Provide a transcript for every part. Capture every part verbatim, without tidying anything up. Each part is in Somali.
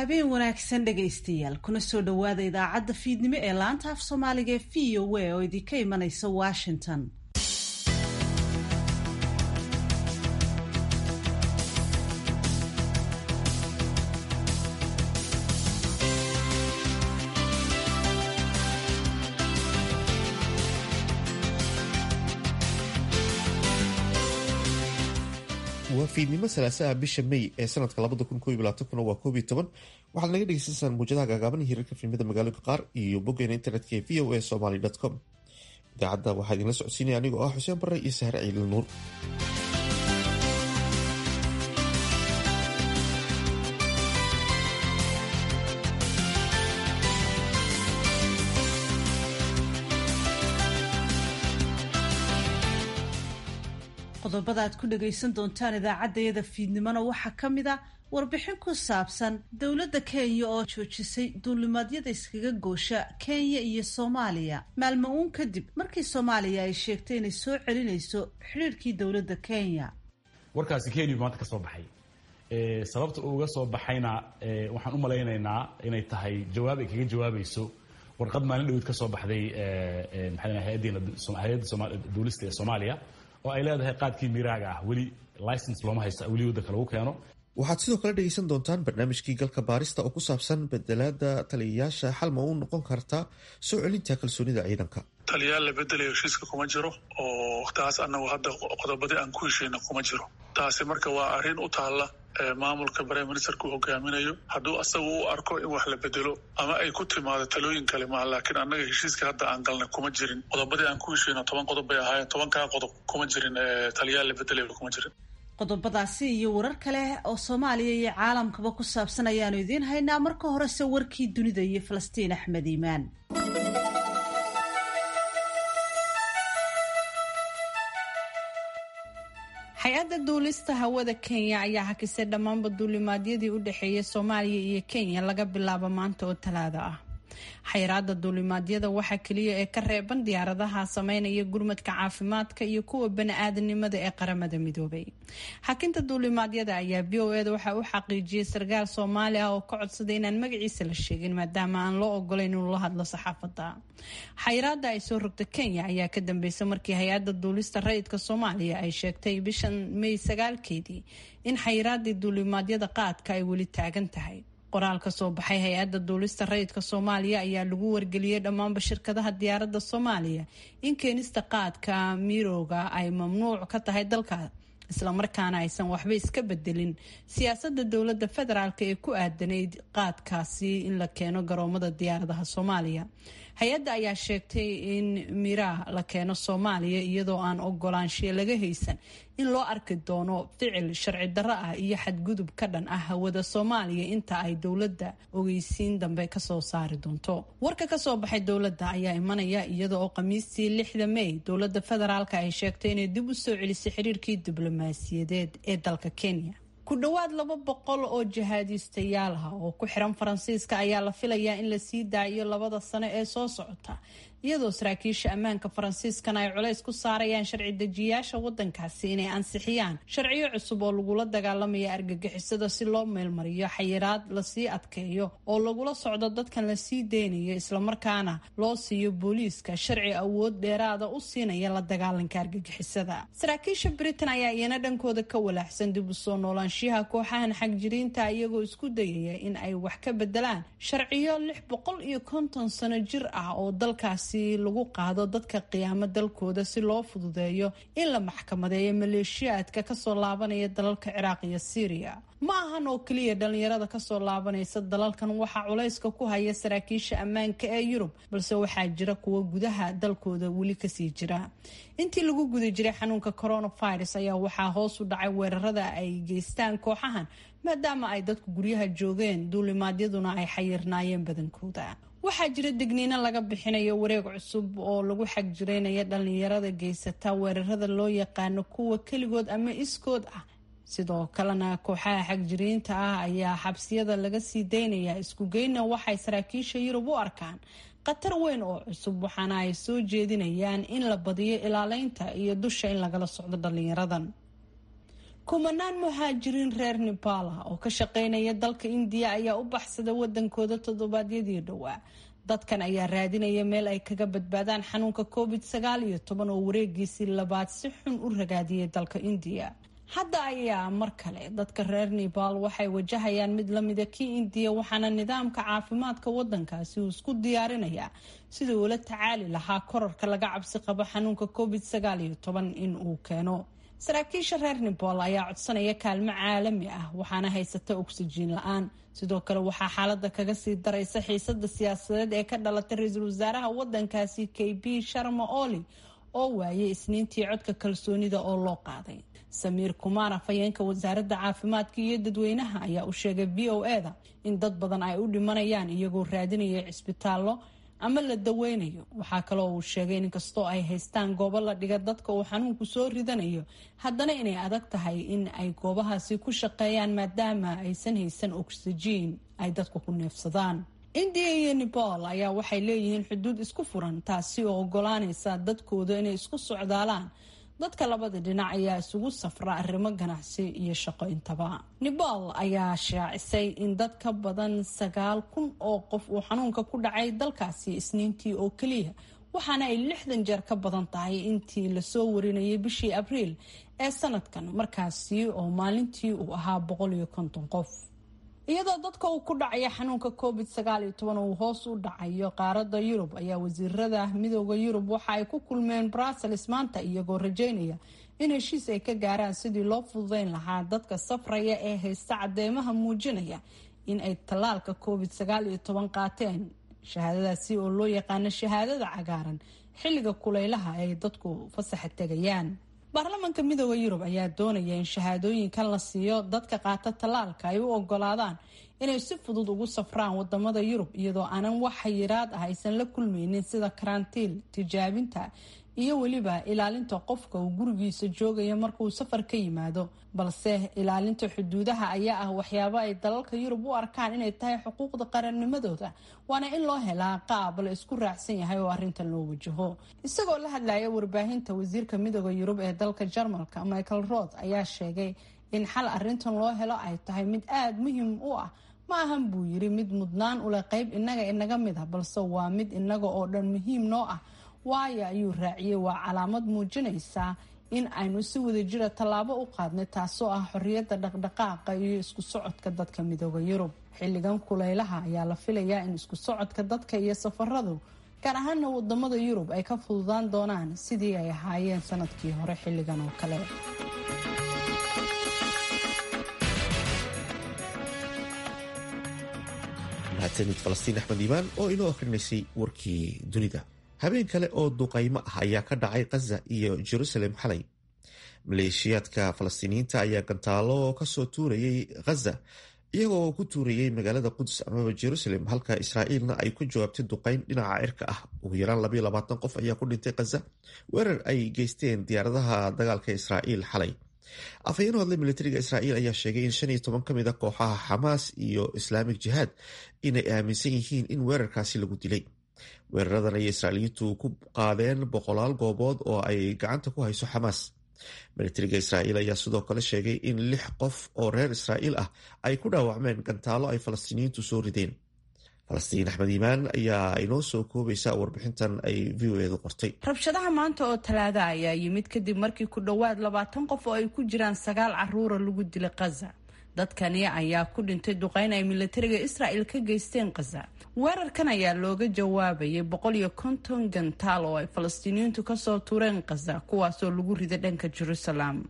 Habeen wanaagsan dhegaystayaal, kuna soo dhowaada idaacadda fiidnimo ee laanta af Soomaaliga ee V O A oo idinka imanaysa Washington. Waa fiidnimo salaasaha, bisha May ee sanadka labada kun koob iyo labaatankuna waa koob iyo toban. Waxaad naga dhegeysaneysaan muwjadaha gaagaaban, hirarka filimada magaalooyinka qaar iyo boggeena internetka ee V O A Somaly com. Idaacadda waxaa idinla socodsiinaya anigoo ah Xuseen Barre iyo Sahre Ciidil Nuur. Qodobada aad ku dhagaysan doontaan idaacaddayada fiidnimona waxaa ka mid a warbixin ku saabsan dowladda Kenya oo joojisay duulimaadyada iskaga goosha Kenya iyo Soomaaliya maalmo uun kadib markii Soomaaliya ay sheegtay inay soo celinayso xidhiirkii dowladda Kenya. Warkaasi Kenya maanta ka soo baxay. Sababta uu uga soo baxayna waxaan u malaynaynaa inay tahay jawaab ay kaga jawaabayso warqad maalin dhaweyd ka soo baxday, maxaa, hay-adda duulista ee Soomaaliya oo ay leedahay qaadkii miiraaga ah weli license looma haysta, weli waddanka lagu keeno. Waxaad sidoo kale dhegeysan doontaan barnaamijkii Galka Baarista oo ku saabsan bedelaada taliyayaasha, xal ma u noqon kartaa soo celinta kalsoonida ciidanka? Taliyaal la bedelayo heshiiska kuma jiro, oo taas anagu hadda qodobadii aan ku heshiina kuma jiro taasi. Marka waa arrin u taalla maamulka prime ministerka uu hogaaminayo, hadduu asagu u arko in wax la bedelo ama ay ku timaado talooyin kale maa. Laakiin annaga heshiiska hadda aan galnay kuma jirin. Qodobadii aan ku heshiino toban qodob bay ahaayeen, tobankaa qodob kuma jirin taliyaal la bedelayo, kuma jirin. Qodobadaasi iyo warar kale oo Soomaaliya iyo caalamkaba ku saabsan ayaanu idiin haynaa. Marka horese warkii dunida iyo Falastiin Axmed Iimaan. Hay-adda duulista hawada Kenya ayaa hakisay dhammaanba duulimaadyadii u dhexeeyay Soomaaliya iyo Kenya laga bilaabo maanta oo Talaada ah. Xayiraada duulimaadyada waxaa keliya ee ka reeban diyaaradaha sameynaya gurmadka caafimaadka iyo kuwa bani-aadanimada ee Qaramada Midoobay. Hakinta duulimaadyada ayaa V O E da waxaa u xaqiijiyay sarkaal Soomaali ah oo ka codsaday inaan magaciisa la sheegin, maadaama aan loo ogolayn inuu la hadlo saxaafadda. Xayiraada ay soo rogta Kenya ayaa ka dambeysay markii hay-adda duulista rayidka Soomaaliya ay sheegtay bishan May sagaalkeedii in xayiraadii duulimaadyada qaadka ay weli taagan tahay. Qoraal ka soo baxay hay-adda duulista rayidka Soomaaliya ayaa lagu wargeliyey dhammaanba shirkadaha diyaaradda Soomaaliya in keenista qaadka mirooga ay mamnuuc ka tahay dalka, islamarkaana aysan waxba iska bedelin siyaasadda dowladda federaalk ee ku aadanayd qaadkaasi in la keeno garoomada diyaaradaha Soomaaliya. Hay-adda ayaa sheegtay in miraa la keeno Soomaaliya iyadoo aan ogolaanshiya laga haysan in loo arki doono ficil sharci darro ah iyo xadgudub ka dhan ah hawada Soomaaliya inta ay dowladda ogeysiin dambe kasoo saari doonto. Warka kasoo baxay dowladda ayaa imanaya iyada oo Khamiistii lixda May dowladda federaalk ay sheegtay inay dib u soo celisay xiriirkii diblomaasiyadeed ee dalka Kenya. Ku dhowaad laba boqol oo jihaadiistayaal ah oo ku xiran Faransiiska ayaa la filayaa in lasii daayo labada sano ee soo socota, iyadoo saraakiisha ammaanka Faransiiskana ay culays ku saarayaan sharci dejiyaasha wadankaasi inay ansixiyaan sharciyo cusub oo lagula dagaalamaya argagixisada, si loo meelmariyo xayiraad lasii adkeeyo oo lagula socdo dadkan lasii deynayo, islamarkaana loo siiyo booliiska sharci awood dheeraada u siinaya la dagaalanka argagixisada. Saraakiisha Britain ayaa iyana dhankooda ka walaaxsan dib u soo noolaanshiyaha kooxahan xagjiriinta, iyagoo isku dayaya in ay wax ka bedelaan sharciyo lix boqol iyo konton sano jir ah oo dalkaasi lagu qaado dadka qiyaamo dalkooda, si loo fududeeyo in la maxkamadeeyo maleeshiyaadka kasoo laabanaya dalalka Ciraaq iyo Syria. Ma ahan oo keliya dhalinyarada kasoo laabanaysa dalalkan waxaa culayska ku haya saraakiisha ammaanka ee Yurub, balse waxaa jira kuwo gudaha dalkooda weli kasii jira. Intii lagu guda jiray xanuunka coronavirus ayaa waxaa hoos u dhacay weerarada ay geystaan kooxahan, maadaama ay dadku guryaha joogeen, duulimaadyaduna ay xayirnaayeen badankooda. Waxaa jira digniino laga bixinayo wareeg cusub oo lagu xagjiraynaya dhalinyarada geysata weerarada loo yaqaano kuwa keligood ama iskood ah. Sidoo kalena kooxaha xagjiriinta ah ayaa xabsiyada laga sii daynayaa. Isku geyna waxay saraakiisha Yurub u arkaan khatar weyn oo cusub, waxaana ay soo jeedinayaan in la badiyo ilaaleynta iyo dusha in lagala socdo dhalinyaradan. Kumanaan muhaajiriin reer Nepal ah oo ka shaqeynaya dalka Indiya ayaa u baxsada wadankooda toddobaadyadii dhowaa. Dadkan ayaa raadinaya meel ay kaga badbaadaan xanuunka covid sagaal iyo toban oo wareegiisii labaad si xun u ragaadiyay dalka Indiya. Hadda ayaa mar kale dadka reer Nepal waxay wajahayaan mid lamida kii Indiya, waxaana nidaamka caafimaadka wadankaasi uu isku diyaarinayaa sidii ula tacaali lahaa korarka laga cabsi qabo xanuunka covid sagaal iyo toban in uu keeno. Saraakiisha reer Nepal ayaa codsanaya kaalmo caalami ah, waxaana haysata ogsijiin la-aan. Sidoo kale waxaa xaalada kaga sii daraysa xiisada siyaasadeed ee ka dhalatay ra-iisul wasaaraha wadankaasi K P Sharma Oli oo waayay isniintii codka kalsoonida oo loo qaaday. Samiir Kumaar, afhayeenka wasaaradda caafimaadka iyo dadweynaha, ayaa u sheegay V O A-da in dad badan ay u dhimanayaan iyagoo raadinaya cisbitaallo ama la daweynayo. Waxaa kaloo uu sheegay in inkastoo ay haystaan goobo la dhiga dadka uu xanuunku soo ridanayo, haddana inay adag tahay in ay goobahaasi ku shaqeeyaan maadaama aysan haysan oksijiin ay dadku ku neefsadaan. Indiya iyo Nepal ayaa waxay leeyihiin xuduud isku furan, taasi oo ogolaanaysa dadkooda inay isku socdaalaan. Dadka labada dhinac ayaa isugu safra arrimo ganacsi iyo shaqo intaba. Nepal ayaa shaacisay in dad ka badan sagaal kun oo qof uu xanuunka ku dhacay dalkaasi isniintii oo keliya, waxaana ay lixdan jeer ka badan tahay intii lasoo warinayay bishii Abriil ee sanadkan, markaasi oo maalintii uu ahaa boqol iyo konton qof. Iyadoo dadka uu ku dhacaya xanuunka covid sagaal iyo toban uu hoos u dhacayo qaaradda Yurub, ayaa wasiirada midooda Yurub waxa ay ku kulmeen Brussels maanta, iyagoo rajeynaya in heshiis ay ka gaaraan sidii loo fududeyn lahaa dadka safraya ee haysta cadeymaha muujinaya in ay tallaalka covid sagaal iyo toban qaateen, shahaadadaasi oo loo yaqaano shahaadada cagaaran xilliga kulaylaha ay dadku fasaxa tegayaan. Baarlamaanka midooda Yurub ayaa doonaya in shahaadooyinkan la siiyo dadka qaata tallaalka ay u ogolaadaan inay si fudud ugu safraan wadamada Yurub, iyadoo aanan wax xayiraad ah aysan la kulmaynin sida karantiil, tijaabinta iyo weliba ilaalinta qofka uu gurigiisa joogayo markauu safar ka yimaado. Balse ilaalinta xuduudaha ayaa ah waxyaabo ay dalalka Yurub u arkaan inay tahay xuquuqda qarannimadooda, waana in loo helaa qaab la isku raacsan yahay oo arrintan loo wajaho. Isagoo la hadlaya warbaahinta, wasiirka midooda Yurub ee dalka Jarmalka Michael Roth ayaa sheegay in xal arrintan loo helo ay tahay mid aada muhiim u ah. Ma ahan, buu yiri, mid mudnaan uleh qayb innaga inaga mid ah, balse waa mid inaga oo dhan muhiim noo ah, waayo, ayuu raaciyey, waa calaamad muujinaysa in aynu si wadajira tallaabo u qaadnay, taasoo ah xorriyadda dhaqdhaqaaqa iyo isku socodka dadka midooda Yurub. Xilligan kulaylaha ayaa la filayaa in isku socodka dadka iyo safaradu, gaar ahaana wadamada Yurub, ay ka fududaan doonaan sidii ay ahaayeen sanadkii hore xilligan oo kale. Mahadsanid Falastiin Axmed Iimaan oo inoo akrinaysay warkii dunida. Habeen kale oo duqaymo ah ayaa ka dhacay Khaza iyo Jerusalem xalay. Maleeshiyaadka Falastiiniyiinta ayaa gantaalo kasoo tuurayay Khaza, iyagoo ku tuurayay magaalada Quds amaba Jerusalem, halka Israa'iilna ay ku jawaabtay duqayn dhinaca cirka ah. Ugu yaraan labayo labaatan qof ayaa ku dhintay Khaza weerar ay geysteen diyaaradaha dagaalka Israa'iil xalay. Afhayeen u hadlay militariga Israa'iil ayaa sheegay in shan iyo toban ka mid a kooxaha Xamaas iyo Islamic Jihaad inay aaminsan yihiin in weerarkaasi lagu dilay. Weeraradan ayay Israa'iiliyiintu ku qaadeen boqolaal goobood oo ay gacanta ku hayso Xamaas. Militariga Israa'iil ayaa sidoo kale sheegay in lix qof oo reer Israa'iil ah ay ku dhaawacmeen gantaalo ay Falastiiniyiintu soo rideen. Falastiin Axmed Iimaan ayaa inoo soo koobaysa warbixintan ay V O A-du qortay. Rabshadaha maanta oo talaada ayaa yimid kadib markii ku dhowaad labaatan qof oo ay ku jiraan sagaal caruura lagu dilay Khaza. Dadkani ayaa ku dhintay duqeyn ay militariga Israa'il ka geysteen Khaza. Weerarkan ayaa looga jawaabayay boqol iyo konton gantaal oo ay Falastiiniyiintu kasoo tuureen Khaza, kuwaasoo lagu riday dhanka Jerusalem.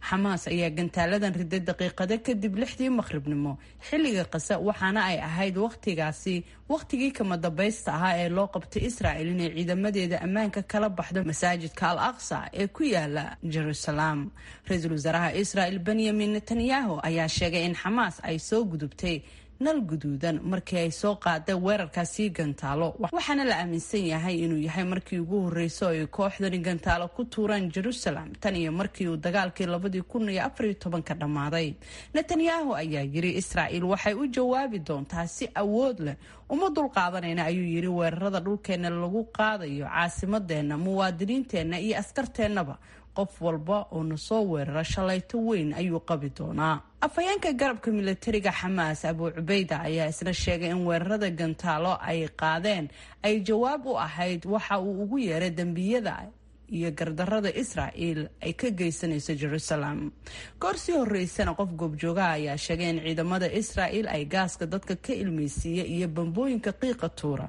Xamaas ayaa gantaaladan riday daqiiqado kadib lixdii maqribnimo xilliga Khaza, waxaana ay ahayd wakhtigaasi wakhtigii kama dambaysta ahaa ee loo qabtay Israa'il inay ciidamadeeda ammaanka kala baxdo masaajidka Al Aqsa ee ku yaala Jerusalem. Ra-iisul wasaaraha Israa'il Benyamin Netanyahu ayaa sheegay in Xamaas ay soo gudubtay nal guduudan markii ay soo qaadeen weerarkaasi gantaalo, waxaana la aaminsan yahay inuu yahay markii ugu horreysay oo ay kooxdani gantaalo ku tuuraan Jerusalem tan iyo markii uu dagaalkii labadii kun iyo afar iyo tobanka dhammaaday. Netanyahu ayaa yiri Israa'iil waxay u jawaabi doontaa si awood leh, uma dulqaadanayna, ayuu yiri, weerarada dhulkeenna lagu qaadayo caasimadeenna, muwaadiniinteenna iyo askarteennaba. Qof walba oo na soo weerara shalayto weyn ayuu qabi doonaa. Afhayeenka garabka milatariga Xamaas Abu Cubeyda ayaa isna sheegay in weerarada gantaalo ay qaadeen ay jawaab u ahayd waxa uu ugu yeeray dembiyada iyo gardarada Israa'iil ay ka geysanayso Jerusalem. Goor sii horeysana qof goobjoogaha ayaa sheegay in ciidamada Israa'iil ay gaaska dadka ka ilmeysiiya iyo bambooyinka qiiqa tuura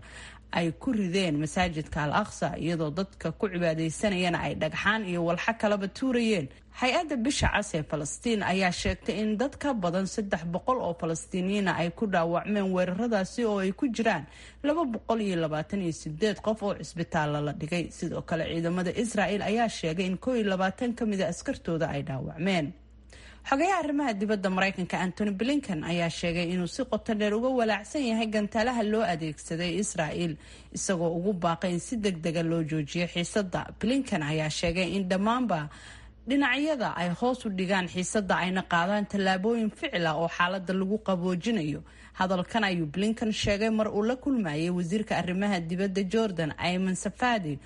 ay ku rideen masaajidka Al Aqsa, iyadoo dadka ku cibaadaysanayana ay dhagxaan iyo walxo kalaba tuurayeen. Hay-adda Bisha Cas ee Falastiin ayaa sheegtay in dad ka badan saddex boqol oo Falastiiniyiina ay ku dhaawacmeen weeraradaasi, oo ay ku jiraan laba boqol iyo labaatan iyo sideed qof oo cisbitaalla la dhigay. Sidoo kale ciidamada Israa'iil ayaa sheegay in koo iyo labaatan ka mida askartooda ay dhaawacmeen. Xogayaha arrimaha dibadda Maraykanka Antony Blinken ayaa sheegay inuu si qoto dheer uga walaacsan yahay gantaalaha loo adeegsaday Israa'iil, isagoo ugu baaqay in si deg dega loo joojiyo xiisadda. Blinken ayaa sheegay in dhammaanba dhinacyada ay hoos u dhigaan xiisadda ayna qaadaan tallaabooyin ficil ah oo xaaladda lagu qaboojinayo. Hadalkan ayuu Blinken sheegay mar uu la kulmayay wasiirka arrimaha dibadda Jordan Ayman Safadi,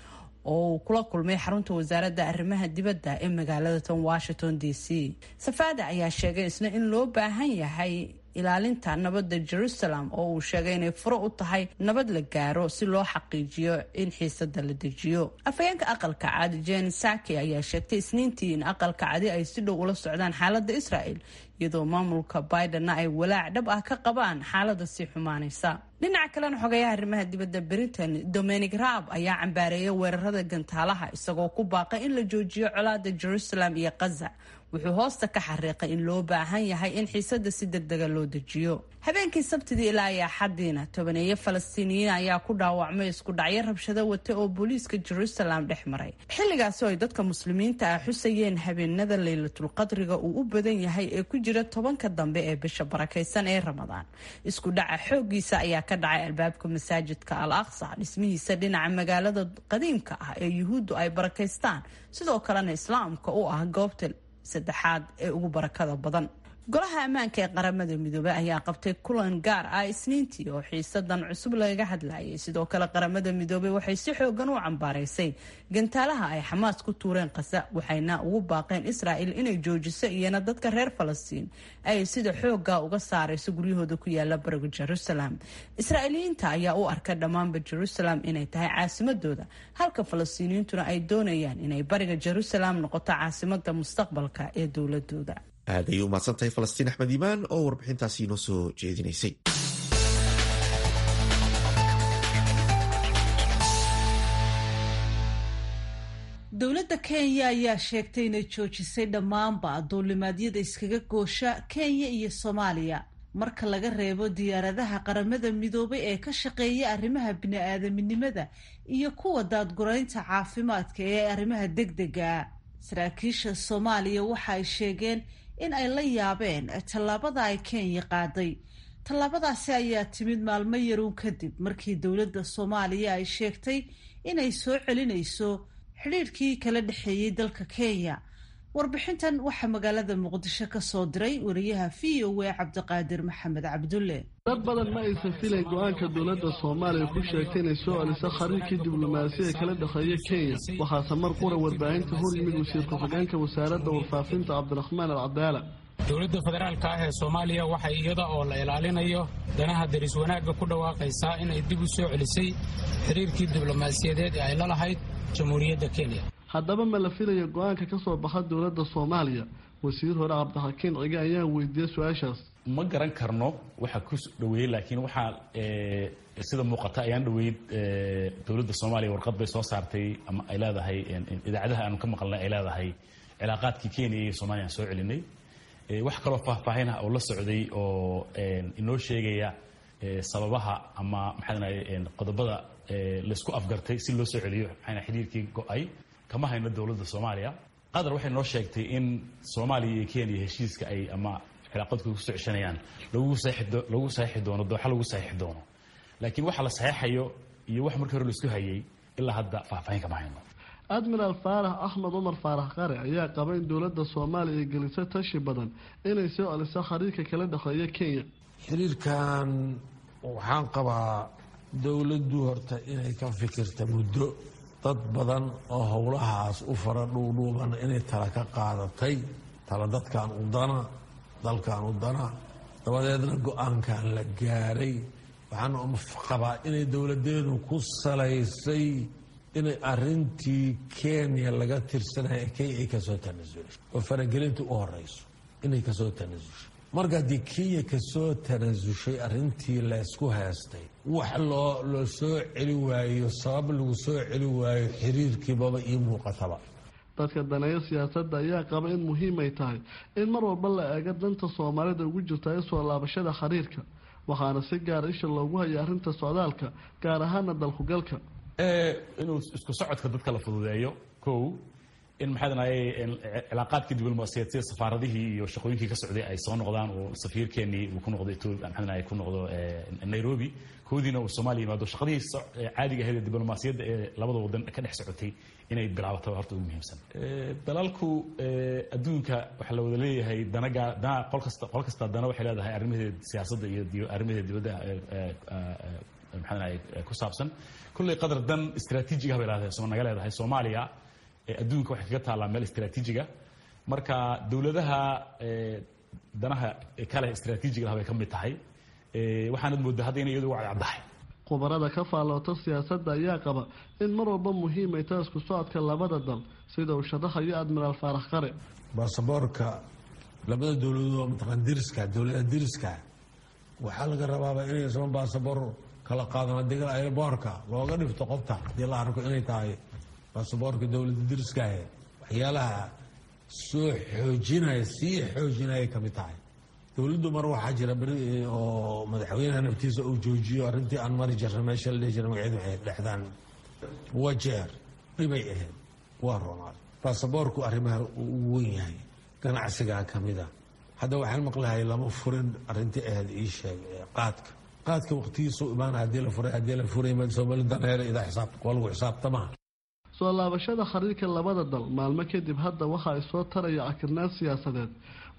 oo uu kula kulmay xarunta wasaaradda arrimaha dibadda ee magaalada tan Washington D C. Safadi ayaa sheegay isna in loo baahan yahay ilaalinta nabadda Jerusalem, oo uu sheegay inay furo u tahay nabad la gaaro si loo xaqiijiyo in xiisada la dejiyo. Afhayeenka Aqalka Cad Jen Saki ayaa sheegtay Isniintii in Aqalka Cadi ay si dhow ula socdaan xaaladda Israel, iyadoo maamulka Bidenna ay walaac dhab ah ka qabaan xaaladda sii xumaanaysa. Dhinaca kalena, xogayaha arrimaha dibadda Britain Dominic Raab ayaa cambaareeyay weerarada gantaalaha, isagoo ku baaqay in la joojiyo colaada Jerusalem iyo Gaza. Wuxuu hoosta ka xariiqay in loo baahan yahay in xiisada si degdega loo dejiyo. Habeenkii Sabtidii ilaa iyo Axadiina, tobaneeyo Falastiiniyiin ayaa ku dhaawacmay isku dhacyo rabshado wata oo booliiska Jerusalem dhex maray, xilligaasi oo ay dadka Muslimiinta ah xusayeen habeenada Leylatulqadriga uu u badan yahay ee ku jira tobanka dambe ee bisha barakaysan ee Ramadaan. Isku dhaca xooggiisa ayaa ka dhacay albaabka masaajidka Al Aqsa, dhismihiisa dhinaca magaalada qadiimka ah ee Yuhuuddu ay barakaystaan, sidoo kalena Islaamka u ah goobta saddexaad ee ugu barakada badan. Golaha Ammaanka ee Qaramada Midoobey ayaa qabtay kulan gaar ah Isniintii oo xiisadan cusub lagaga hadlayay. Sidoo kale Qaramada Midoobey waxay si xoogan u cambaaraysay gantaalaha ay Xamaas ku tuureen Qasa, waxayna ugu baaqeen Israa'iil inay joojiso iyana dadka reer Falastiin ay sida xooga uga saarayso guryahooda ku yaala bariga Jerusalem. Israa'iiliyiinta ayaa u arka dhammaanba Jerusalem inay tahay caasimadooda, halka Falastiiniyiintuna ay doonayaan inay bariga Jerusalem noqoto caasimada mustaqbalka ee dowladooda. Aad ayay u mahadsantahay Falastiin Axmed Iimaan oo warbixintaasi inoo soo jeedinaysay. Dowladda Kenya ayaa sheegtay inay joojisay dhammaanba duulimaadyada iskaga goosha Kenya iyo Soomaaliya, marka laga reebo diyaaradaha Qaramada Midoobay ee ka shaqeeya arrimaha bini-aadaminimada iyo kuwa daadguraynta caafimaadka ee arrimaha degdega. Saraakiisha Soomaaliya waxa ay sheegeen in ay la yaabeen tallaabada ay Kenya qaaday. Tallaabadaasi ayaa timid maalmo yaruun kadib markii dowladda Soomaaliya ay sheegtay inay soo celinayso xidhiidhkii kala dhexeeyey dalka Kenya. Warbixintan waxaa magaalada Muqdisho ka soo diray wariyaha V O A Cabdiqaadir Maxamed Cabdulle. Dad badan ma aysan filayn go-aanka dowladda Soomaaliya ku sheegtay inay soo celiso xiriirkii diblomaasiya kala dhexeeya Kenya. Waxaase mar qura warbaahinta hor yimid wasiir ku-xigeenka wasaaradda warfaafinta Cabdiraxmaan Alcadaala. Dowladda federaalka ah ee Soomaaliya waxay iyada oo la ilaalinayo danaha deris wanaagga ku dhawaaqaysaa inay dib u soo celisay xiriirkii diblomaasiyadeed ee ay la lahayd Jamhuuriyadda Kenya. Haddaba ma la filayo go-aanka ka soo baxa dowladda Soomaaliya? Wasiir hore Cabdixakiin Cige ayaa weydiiyey su-aashaas. Ma garan karno waxa ku dhaweeyey, laakiin waxaa sida muuqata ayaan dhaweyd dowladda Soomaaliya warqad bay soo saartay ama ay leedahay, idaacadaha aanu ka maqalnay ay leedahay cilaaqaadkii Kenya iyo Soomaaliya aan soo celinay. Wax kaloo faahfaahin ah oo la socday oo inoo sheegaya sababaha ama maxaa qodobada laysku afgartay si loo soo celiyo maxaa xiriirkii go-ay kama hayno dowladda Soomaaliya. Qatar waxay noo sheegtay in Soomaaliya iyo Kenya heshiiska ay ama cilaaqadku ku soo ceshanayaan lagu saxiixi lagu saxiixi doono dooxa lagu saxiixi doono, laakiin waxa la saxiixayo iyo wax markii hore laisku hayay ilaa hadda faahfaahin kama hayno. Admiraal Faarax Axmed Cumar Faarax Qare ayaa qaba in dowladda Soomaaliya ay geliso tashi badan inay soo celiso xiriirka kala dhexeeya Kenya. Xiriirkan waxaan qabaa dowladdu horta inay ka fikirta muddo Dad badan oo howlahaas u fara dhuudhuuban inay tala ka qaadatay, tala dadkan u dana, dalkan u dana, dabadeedna go-aankan la gaaray. Waxaan qabaa inay dowladeedu ku salaysay inay arintii Kenya laga tirsanaya Kenya ay kasoo tanasulay oo faragelinta u horeyso inay kasoo tanasushay. Marka haddii Kenya kasoo tanasushay arintii laysku heestay, wax loo loo soo celi waayo, sabab lagu soo celi waayo xiriirkiibaba ii muuqataba. Dadka daneeya siyaasadda ayaa qaba in muhiim ay tahay in mar walba la eego danta Soomaalida ugu jirta ee soo laabashada xiriirka, waxaana si gaara isha loogu haya arrinta socdaalka, gaar ahaana dalkugalka. Inuu isku socodka dadka la fududeeyo, kow in maxaa danaye cilaaqaadkii diblomaasiyaed sida safaaradihii iyo shaqooyinkii ka socday ay soo noqdaan, oo safiirkeenii uu ku noqdo Ethiopia, maxaa danaye ku noqdo Nairobi, koodiina uu Soomaaliya yimaado, shaqadii caadiga ahayd ee diblomaasiyadda ee labada wadan ka dhex socotay inay bilaabato horta ugu muhiimsan. Dalalku adduunka waxaa la wada leeyahay danaga dana, qol kasta qol kasta dana waxay leedahay arrimaheeda siyaasadda iyo arrimaheeda dibadda maxaa danaye ku saabsan. Kulley qadar dan istaraatiijiga bay leedahay, naga leedahay Soomaaliya. Adduunka waxay kaga taallaa meel istaraatiijiga, marka dowladaha danaha kale istaraatiijiga lah bay ka mid tahay. Waxaanad mooddaa hadda inay iyadu uga cadcaddahay. Khubarada ka faalloota siyaasadda ayaa qaba in mar walba muhiim ay tahay isku socodka labada dal, sida uu sharaxayo Admiraal Faarax Qare. Baasaboorka labada dowladood mataqaan diriska, dowladaha diriska waxaa laga rabaaba inay isma baasaboor kala qaadan. Haddii airboorka looga dhifto qofta, haddii la arko inay tahay baasaboorka dowladda diriskaahe, waxyaalaha soo xoojinaya, sii xoojinaya ka mid tahay. Dowladdu mar waxaa jira beri oo madaxweynaha naftiisa uu joojiyo arrintii aan mari jirna meesha la dhihi jira magaceedu waxay dhexdaan Wajeer, dhibay ahayd, waa ronaad. Baasaboorku arrimaha uu ugu wen yahay, ganacsigaa ka mid a. Hadda waxaan maqlahay lama furin arrintii ahayd ii sheeg qaadka qaadka waqtigiisuu imaana, haddii la furay, haddii la furay Soomali daneer idaa xisaab waa lagu xisaabtamaa. Soo laabashada xiriirka labada dal maalmo kadib hadda waxa ay soo taraya cakirnaan siyaasadeed,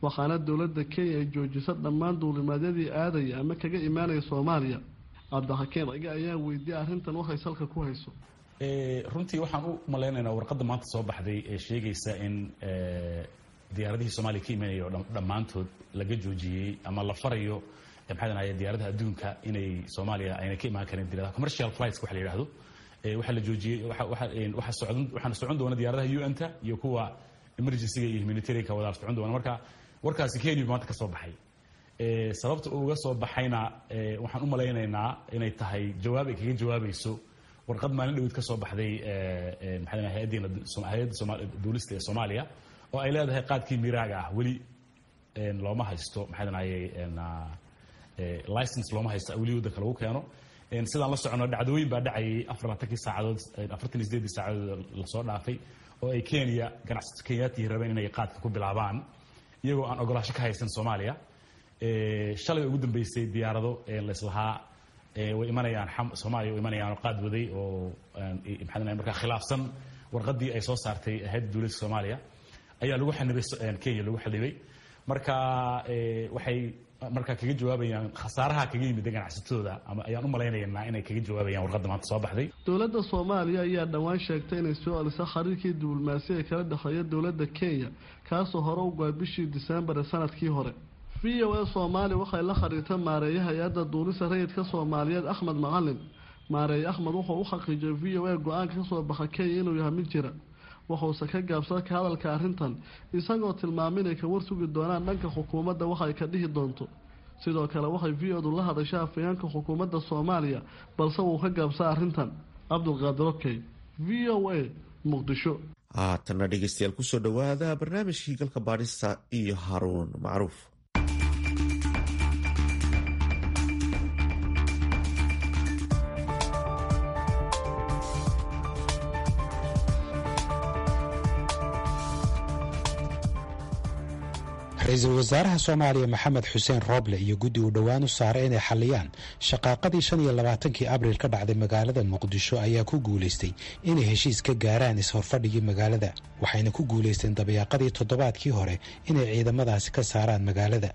waxaana dowladda Kenya ay joojisa dhammaan duulimaadyadii aadaya ama kaga imaanaya Soomaaliya. Cabdixakiin Cige ayaa weydiiyey arrintan waxay salka ku hayso. Runtii waxaan u malaynaynaa warqadda maanta soo baxday ee sheegaysa in diyaaradihii Soomaaliya ka imanaya oo dhammaantood laga joojiyey ama la farayo maxaa danaye diyaaradaha adduunka inay Soomaaliya ayna ka imaan karin, diyaaradaha commercial flights waxa la yidhaahdo waxaa la joojiyey. Waxa socon, waxaana socon doona diyaaradaha U N-ta iyo kuwa emergency-ga iyo humanitarian-ka wada socon doona. Marka warkaasi Kenya maanta ka soo baxay. Sababta uu uga soo baxayna waxaan u malaynaynaa inay tahay jawaab ay kaga jawaabayso warqad maalin dhaweyd ka soo baxday maxaa hayaddeena hayadda duulista ee Soomaaliya, oo ay leedahay qaadkii miraaga ah weli looma haysto maxaa danaye license, looma haysto weli waddanka lagu keeno. Sidaan la socono dhacdooyin baa dhacayay afar labaatankii saacadood, afartan iyo sideedii saacadood lasoo dhaafay, oo ay Kenya ganacsato Kenyaatihi rabeen inay qaadka ku bilaabaan iyagoo aan ogolaasho ka haysan Soomaaliya. Shalay ugu dambeysay diyaarado laislahaa way imanayaan Soomaaliya, way imanayaan oo qaad waday oo maxaa markaa khilaafsan warqaddii ay soo saartay hayadda dowladda Soomaaliya ayaa lagu xanibay, Kenya lagu xanibay. Marka waxay markaa kaga jawaabayaan khasaaraha kaga yimid ganacsatadooda, ama ayaan u malaynaynaa inay kaga jawaabayaan warqadda maanta soo baxday. Dowladda Soomaaliya ayaa dhowaan sheegtay inay soo celiso xiriirkii diblomaasi ee kala dhexeeya dowladda Kenya, kaasoo hore u go'ay bishii Diseembar ee sanadkii hore. V O A Soomaali waxay la xiriirtay maareeya hay-adda duulista rayidka Soomaaliyeed Axmed Macalin. Maareeye Axmed wuxuu u xaqiijiyay V O A go-aanka kasoo baxa Kenya inuu yahay mid jira, wuxuuse ka gaabsaday ka hadalka arrintan, isagoo tilmaamay inay ka warsugi doonaan dhanka xukuumadda waxa ay ka dhihi doonto. Sidoo kale waxay V O du la hadashay afhayeenka xukuumadda Soomaaliya, balse wuu ka gaabsaday arrintan. Cabdulqaadir Okey, V O A, Muqdisho. Haatanna dhegeystayaal, kusoo dhowaada barnaamijkii galka baadhista iyo Haruun Macruuf. Ra-iisul wasaaraha Soomaaliya Maxamed Xuseen Rooble iyo guddi uu dhowaan u saaray inay xalliyaan shaqaaqadii shan iyo labaatankii Abriil ka dhacday magaalada Muqdisho ayaa ku guulaystay inay heshiis ka gaaraan is-horfadhigii magaalada, waxayna ku guulaysteen dabayaaqadii toddobaadkii hore inay ciidamadaasi ka saaraan magaalada.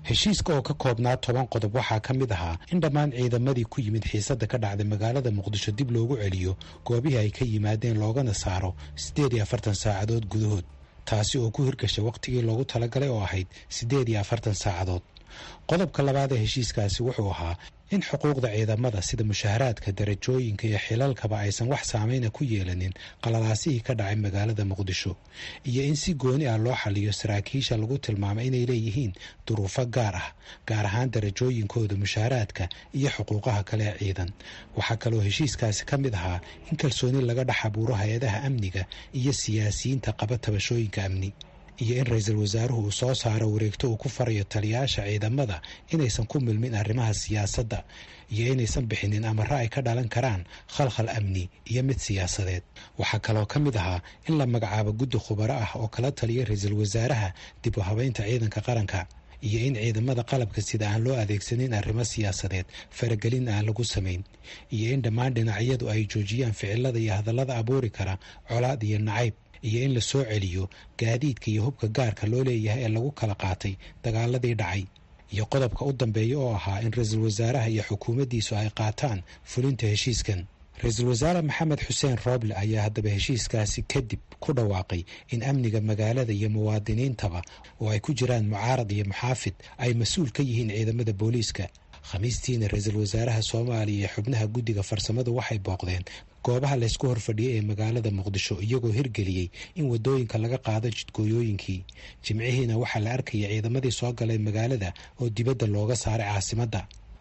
Heshiiska oo ka koobnaa toban qodob waxaa ka mid ahaa in dhammaan ciidamadii ku yimid xiisadda ka dhacday magaalada Muqdisho dib loogu celiyo goobihii ay ka yimaadeen, loogana saaro siddeed iyo afartan saacadood gudahood, taasi oo ku hirgashay wakhtigii loogu talagalay oo ahayd siddeed iyo afartan saacadood. Qodobka labaad ee heshiiskaasi wuxuu ahaa in xuquuqda ciidamada sida mushaharaadka, darajooyinka iyo xilalkaba aysan wax saameyna ku yeelanin qalalaasihii ka dhacay magaalada Muqdisho, iyo in si gooni ah loo xaliyo saraakiisha lagu tilmaamay inay leeyihiin duruufo gaar ah, gaar ahaan darajooyinkooda, mushaharaadka iyo xuquuqaha kale ee ciidan. Waxaa kaloo heshiiskaasi ka mid ahaa in kalsooni laga dhex abuuro hay-adaha amniga iyo siyaasiyiinta qaba tabashooyinka amni, iyo in ra-iisul wasaaruhu uu soo saaro wareegto uu ku farayo taliyayaasha ciidamada inaysan ku milmin arrimaha siyaasadda iyo inaysan bixinin amaro ay ka dhalan karaan khalkhal amni iyo mid siyaasadeed. Waxaa kaloo ka mid ahaa in la magacaabo guddi khubaro ah oo kala taliya ra-iisul wasaaraha dib u habeynta ciidanka qaranka, iyo in ciidamada qalabka sida aan loo adeegsanin arrimo siyaasadeed, faragelin aan lagu samayn, iyo in dhammaan dhinacyadu ay joojiyaan ficilada iyo hadallada abuuri kara colaad iyo nacayb, iyo in la soo celiyo gaadiidka iyo hubka gaarka loo leeyahay ee lagu kala qaatay dagaaladii dhacay. Iyo qodobka u dambeeya oo ahaa in ra-iisul wasaaraha iyo xukuumaddiisu ay qaataan fulinta heshiiskan. Ra-iisul wasaare Maxamed Xuseen Rooble ayaa haddaba heshiiskaasi kadib ku dhawaaqay in amniga magaalada iyo muwaadiniintaba oo ay ku jiraan mucaarad iyo muxaafid ay mas-uul ka yihiin ciidamada booliiska. Khamiistiina ra-iisul wasaaraha Soomaaliya iyo xubnaha guddiga farsamadu waxay booqdeen goobaha laysku horfadhiyey ee magaalada Muqdisho, iyagoo hirgeliyey in wadooyinka laga qaado jidgooyooyinkii. Jimcihiina waxaa la arkayay ciidamadii soo galay magaalada oo dibadda looga saaray caasimadda.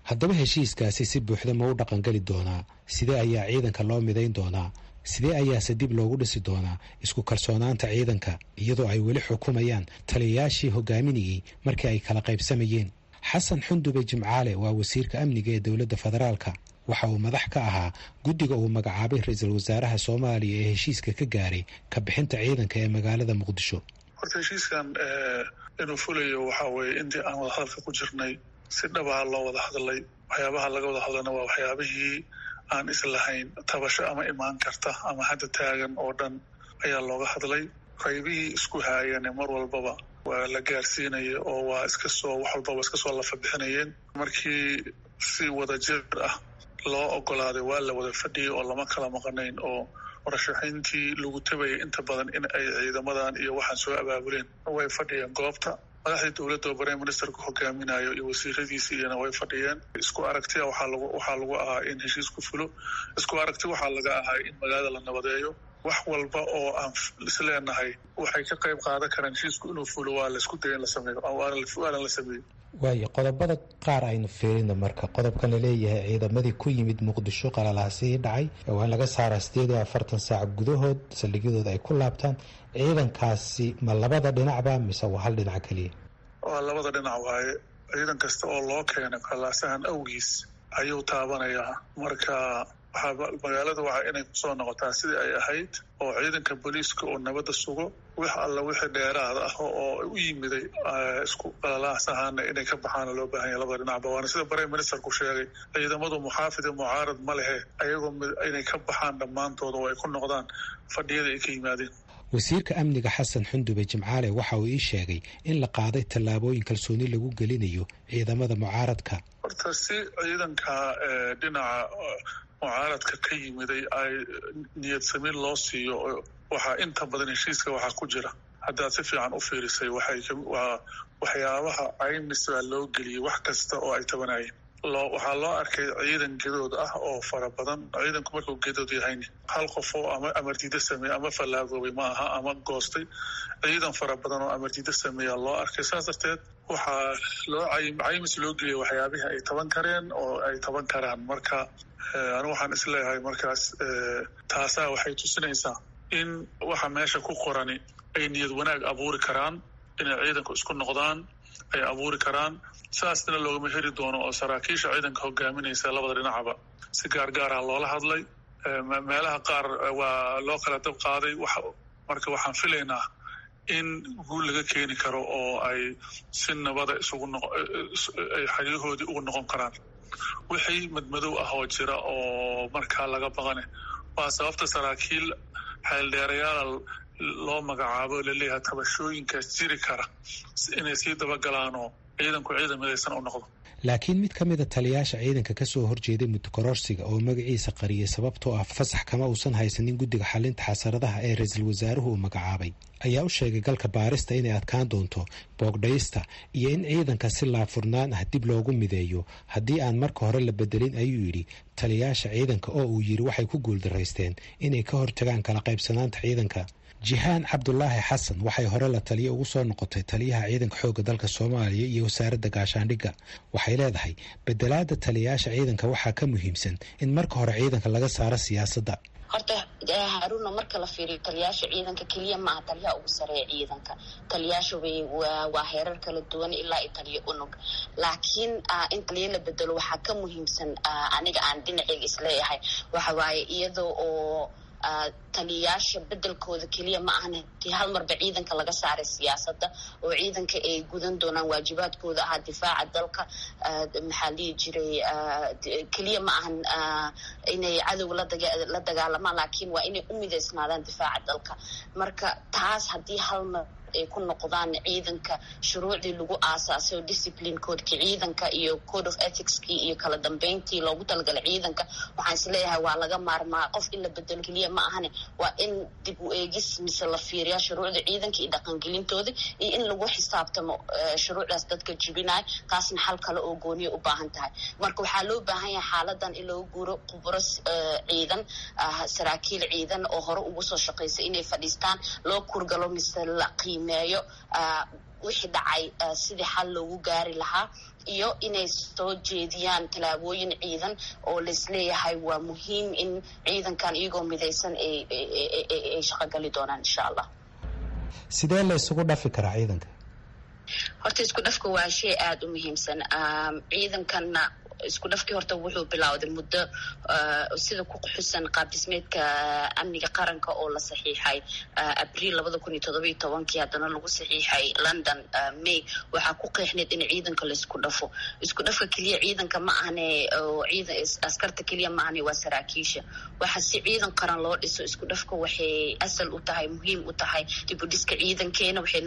Haddaba heshiiskaasi si buuxda ma u dhaqangeli doonaa? Sidee ayaa ciidanka loo midayn doonaa? Sidee ayaase dib loogu dhisi doonaa isku kalsoonaanta ciidanka, iyadoo ay weli xukumayaan taliyayaashii hogaaminayey markii ay kala qaybsamayeen? Xasan Xundube Jimcaale waa wasiirka amniga ee dowladda federaalka. Waxa uu madax ka ahaa guddiga uu magacaabay ra-iisul wasaaraha Soomaaliya ee heshiiska ka gaaray ka bixinta ciidanka ee magaalada Muqdisho. Horta heshiiskan inuu fulayo waxaa weeye intii aan wada hadalka ku jirnay si dhabaha loo wada hadlay. Waxyaabaha laga wada hadlayna waa waxyaabihii aan islahayn tabasho ama imaan karta ama hadda taagan oo dhan ayaa looga hadlay. Qaybihii isku haayane mar walbaba waa la gaarsiinaya oo waa iska soo wax walbaba iska soo lafa bixinayeen. Markii si wadajir ah loo ogolaaday waa la wada fadhiyay oo lama kala maqanayn, oo warashaxayntii lagu tabayay inta badan in ay ciidamadan iyo waxaan soo abaabuleen way fadhiyeen goobta. Madaxdii dowladda oo prime ministerku hogaaminayo iyo wasiiradiisi iyana way fadhiyeen. Isku aragtiya waxaa lagu waxaa lagu ahaa in heshiisku fulo. Isku aragti waxaa laga ahaa in magaalada la nabadeeyo. Wax walba oo aan isleenahay waxay ka qayb qaadan karaan heshiisku inuu fulo waa laisku daya in la sameeyo, waana la sameeyo. Waayo, qodobada qaar aynu fiirino marka. Qodobkan laleeyahay ciidamadii ku yimid Muqdisho qalalaasihii dhacay waa in laga saaraa sideed iyo afartan saac gudahood, saldhigyadooda ay ku laabtaan. Ciidankaasi ma labada dhinacba mise waa hal dhinac keliya? Waa labada dhinac waaye. Ciidan kasta oo loo keenay qalalaasahan awgiis ayuu taabanayaa. Marka waxaa magaalada waxaa inay kusoo noqotaa sidii ay ahayd, oo ciidanka booliiska oo nabadda sugo, wax alla wixii dheeraada ah oo u yimiday isku qalalaasahaana inay ka baxaana loo baahan yahay labada dhinacba. Waana sida prime ministerku sheegay, ciidamadu muxaafid iyo mucaarad ma lehe, ayagoo inay ka baxaan dhammaantooda oo ay ku noqdaan fadhiyada ay ka yimaadeen. Wasiirka amniga Xasan Xundube Jimcaale waxa uu ii sheegay in la qaaday tallaabooyin kalsooni lagu gelinayo ciidamada mucaaradka. Horta si ciidanka dhinaca mucaaradka ka yimiday ay niyad samiin loo siiyo, waxaa inta badan heshiiska waxaa ku jira, haddaad si fiican u fiirisay, waa waxyaabaha caymis baa loo geliyey wax kasta oo ay tabanayeen. Loo waxaa loo arkay ciidan gedood ah oo fara badan. Ciidanku markuu gedood yahayna hal qof oo ama amardiida sameeye ama fallaagoobay ma aha ama goostay, ciidan fara badan oo amardiida sameeya loo arkay. Saas darteed waxaa loo caymis loo geliyay waxyaabihii ay taban kareen oo ay taban karaan. Marka anigu waxaan isleeyahay markaas taasaa waxay tusinaysaa in waxa meesha ku qorani ay niyad wanaag abuuri karaan, inay ciidanku isku noqdaan ay abuuri karaan. Saasna loogama heri doono oo saraakiisha ciidanka hogaaminaysa labada dhinacba si gaargaara loola hadlay. Meelaha qaar waa loo kala dab qaaday. Marka waxaan filaynaa in guul laga keeni karo oo ay si nabada isugu ay xeryahoodii ugu noqon karaan. Wixii madmadow ah oo jira oo markaa laga baqane waa sababta saraakiil xeeldheerayaal loo magacaabo laleeyahay tabashooyinkaas jiri kara inay sii dabagalaanoo Ciidanku ciidan midaysan u noqdo. Laakiin mid ka mida taliyaasha ciidanka ka soo horjeeday muddokororsiga oo magaciisa qariyay sababtoo ah fasax kama uusan haysanin guddiga xalinta xasaradaha ee ra-iisul wasaaruhu uu magacaabay, ayaa u sheegay galka baarista inay adkaan doonto boogdhaysta iyo in ciidanka si laabfurnaan ah dib loogu mideeyo haddii aan marka hore la bedelin, ayuu yidhi taliyaasha ciidanka oo uu yidhi waxay ku guuldaraysteen inay ka hortagaan kala qaybsanaanta ciidanka. Jihaan Cabdulaahi Xasan waxay hore la taliyo ugu soo noqotay taliyaha ciidanka xoogga dalka Soomaaliya iyo wasaaradda gaashaandhigga. Waxay leedahay bedelaada taliyaasha ciidanka waxaa ka muhiimsan in marka hore ciidanka laga saaro siyaasadda. Horta Haaruna, marka la fiiriyo taliyaasha ciidanka keliya maaha taliyaha ugu sareeya ciidanka. Taliyaasha way waa heerar kala duwan ilaa iyo taliyo unug, laakiin in taliya la bedelo waxaa ka muhiimsan, aniga aan dhinaceyga isleeyahay, waxa waaye iyadoo oo taliyaasha bedelkooda keliya ma ahan tii hal marba ciidanka laga saaray siyaasadda oo ciidanka ay gudan doonaan waajibaadkooda ahaa difaaca dalka. Maxaa lihi jiray, keliya ma ahan inay cadow la dagaalamaan, laakiin waa inay u midaysnaadaan difaaca dalka. Marka taas haddii hal mar ay ku noqdaan ciidanka shuruucdii lagu aasaasay oo discipline codeki ciidanka iyo code of ethicskii iyo kala dambeyntii loogu talagalay ciidanka, waxaan isleeyahay waa laga maarmaa qof in la bedelo keliya ma ahane. Waa in dib u eegis mise la fiiriyaa shuruucda ciidanka iyo dhaqangelintooda iyo in lagu xisaabtamo shuruucdaas dadka jibinayo. Taasna xal kale oo gooniya u baahan tahay. Marka waxaa loo baahan yahay xaaladan in loogu guuro khubro ciidan, saraakiil ciidan oo hore ugu soo shaqaysay inay fadhiistaan, loo kurgalo mise la qiimeeyo wixii dhacay sidii xal loogu gaari lahaa, iyo inay soo jeediyaan tallaabooyin ciidan oo laisleeyahay waa muhiim in ciidankan iyagoo midaysan ay shaqogali doonaan, insha Allah. Sidee la isugu dhafi karaa ciidanka? Horta isku dhafka waa shay aada u muhiimsan. Ciidankanna isku dhafkii horta wuxuu bilowday muddo, sida ku xusan qaab dhismeedka amniga qaranka oo la saxiixay Abriil labada kun iyo todoba iyo tobankii, haddana lagu saxiixay London May. Waxaa ku qeexneyd in ciidanka laisku dhafo. Isku dhafka keliya ciidanka ma ahne oo ciidan askarta keliya ma ahne, waa saraakiisha. Waxa si ciidan qaran loo dhiso, isku dhafka waxay asal u tahay, muhiim u tahay dib u dhiska ciidankeena, waxay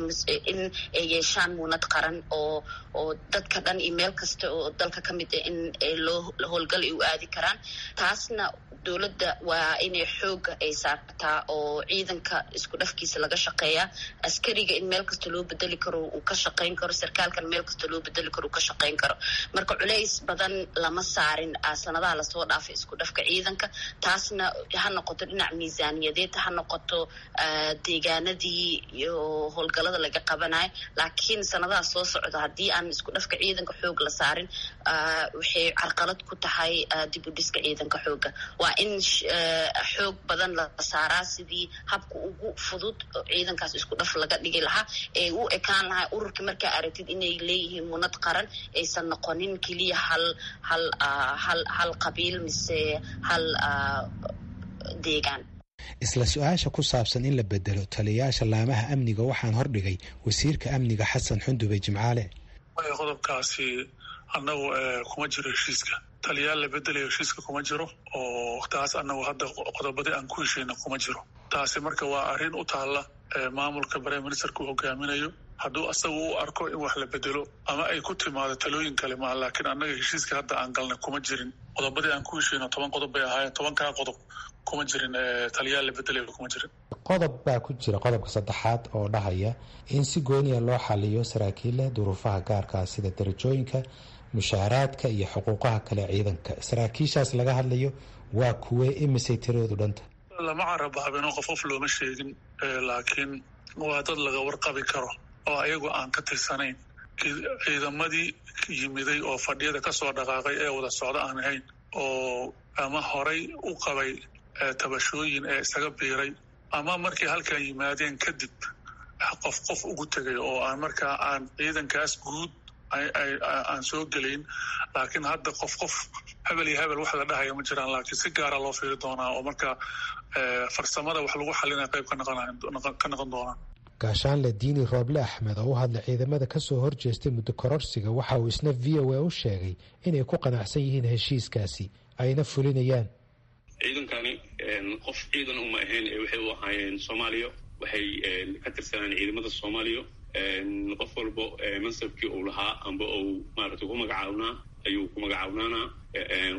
in ay yeeshaan muunad qaran oo oo dadka dhan iyo meel kasta oo dalka ka mid ah in loo howlgal ay u aadi karaan. Taasna dowladda waa inay xooga ay saartaa oo ciidanka isku dhafkiisa laga shaqeeyaa, askariga in meel kasta loo bedeli karo uu ka shaqayn karo, sarkaalkan meel kasta loo bedeli karo uu ka shaqayn karo. Marka culays badan lama saarin sanadaha lasoo dhaafay isku dhafka ciidanka. Taasna ha noqoto dhinac miisaaniyadeed, ha noqoto deegaanadii iyo howlgalada laga qabanayo, laakiin sanadaha soo socda haddii aan isku dhafka ciidanka xoog la saarin, waxay carqalad ku tahay dib u dhiska ciidanka xooga. Waa in xoog badan la saaraa sidii habka ugu fudud ciidankaas isku dhaf laga dhigi lahaa ee u ekaan lahaa ururkii markaa aragtid inay leeyihiin munad qaran, aysan noqonin keliya hal hal hal hal qabiil mise hal deegaan. Isla su-aasha ku saabsan in la bedelo taliyayaasha laamaha amniga waxaan hordhigay wasiirka amniga Xasan Xundube Jimcaale. Qodobkaasi annagu kuma jiro heshiiska. Taliyaal la bedelayo heshiiska kuma jiro, oo taas annagu hadda qodobadii aan ku heshayna kuma jiro. Taasi marka waa arrin u taalla maamulka prime ministerka uu hogaaminayo, hadduu asagu u arko in wax la bedelo ama ay ku timaado talooyin kale maa, laakiin annaga heshiiska hadda aan galnay kuma jirin. Qodobadii aan ku heshayno toban qodob bay ahaayeen, tobankaa qodob kuma jirin taliyaal la bedelayo, kuma jirin. Qodob baa ku jira, qodobka saddexaad oo dhahaya in si gooniya loo xaliyo saraakiilla duruufaha gaarkaa sida darajooyinka, mushaaraadka iyo xuquuqaha kale ciidanka. Saraakiishaas laga hadlayo waa kuwee? Imisay tiradoodu dhanta? Lama carabaabino, qof qof looma sheegin, laakiin waa dad laga warqabi karo oo ayagu aan ka tirsanayn ciidamadii yimiday oo fadhiyada kasoo dhaqaaqay ee wada socda aan ahayn, oo ama horay u qabay tabashooyin ee isaga biiray, ama markay halkan yimaadeen kadib qof qof ugu tegay oo aan markaa aan ciidankaas guud aan soo gelayn. Laakiin hadda qof qof, hebel iyo hebel wax la dhahaya ma jiraan, laakiin si gaara loo fiiri doonaa oo marka farsamada wax lagu xalinaya qayb ka noqon ka noqon doonaa. Gaashaanle Diini Rooble Axmed oo u hadlay ciidamada ka soo horjeestay muddo kororsiga waxa uu isna V O A u sheegay inay ku qanacsan yihiin heshiiskaasi ayna fulinayaan. Ciidankani qof ciidan uma ahayn ee waxay u ahaayeen Soomaaliya, waxay ka tirsanaan ciidamada Soomaaliya. Qof walbo mansabkii uu lahaa amba uu maaragtay ku magacaabnaa ayuu ku magacaabnaanaa.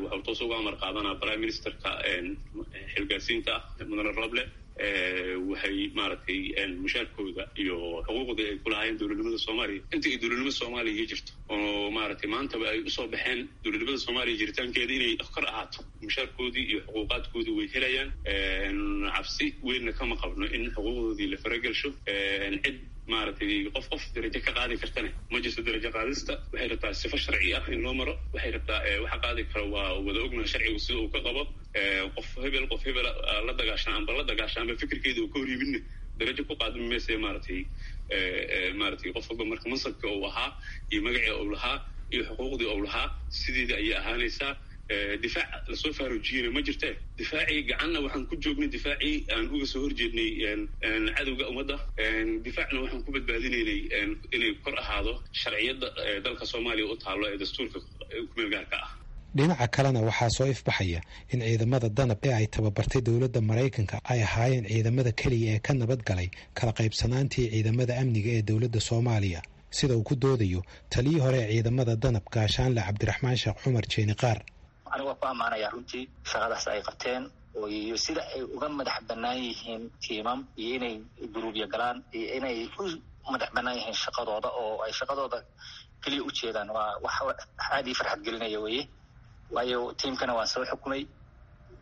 Wuxuu toos uga amar qaadanaa prime ministerka xilgaarsiinta ah, mudane Roble. Waxay maaragtay mushaarkooda iyo xuquuqdii ay ku lahaayeen dowladnimada Soomaaliya inta ay dowladnimada Soomaaliya jirto, oo maaragtay maantaba ay usoo baxeen dowladnimada Soomaaliya jiritaankeeda inay kor ahaato, mushaarkoodii iyo xuquuqaadkoodii way helayaan. Cabsi weynna kama qabno in xuquuqdoodii la faragelsho. Cid maaragtay qof qof darajo ka qaadi kartana ma jirto. Darajo qaadista waxay rabtaa sifo sharci ah in loo maro. Waxay rabtaa waxa qaadi karo waa wada ognaha sharcigu sida uu ka qabo. Qof hebel qof hebel la dagaashan amba la dagaashan amba fikirkeeda uu ka hor yimidna darajo ku qaadmi mayse. Maaragtay maaragtay qof walba marka mansabka uu ahaa iyo magacii uu lahaa iyo xuquuqdii uu lahaa sideedii ayay ahaanaysaa. Difaac lasoo faaruujiyeyna ma jirte. Difaacii gacanna waxaan ku joognay, difaacii aan uga soo horjeednay cadowga ummadda, difaacna waxaan ku badbaadinaynay inay kor ahaado sharciyadda dalka Soomaaliya u taallo ee dastuurka kumeel gaarka ah. Dhinaca kalena, waxaa soo ifbaxaya in ciidamada Danab ee ay tababartay dowladda Maraykanka ay ahaayeen ciidamada keliya ee ka nabad galay kala qaybsanaantii ciidamada amniga ee dowladda Soomaaliya, sida uu ku doodayo taliyii hore ee ciidamada Danab, Gaashaanle Cabdiraxmaan Sheekh Cumar Jeeni Qaar. Aniga waa ku ammaanaya runtii shaqadaas ay qabteen iyo sida ay uga madax bannaan yihiin tiimam iyo inay guruubya galaan iyo inay u madax bannaan yihiin shaqadooda oo ay shaqadooda keliya u jeedaan. Waa wax aad ii farxad gelinaya weye, waayo tiimkana waan soo xukumay.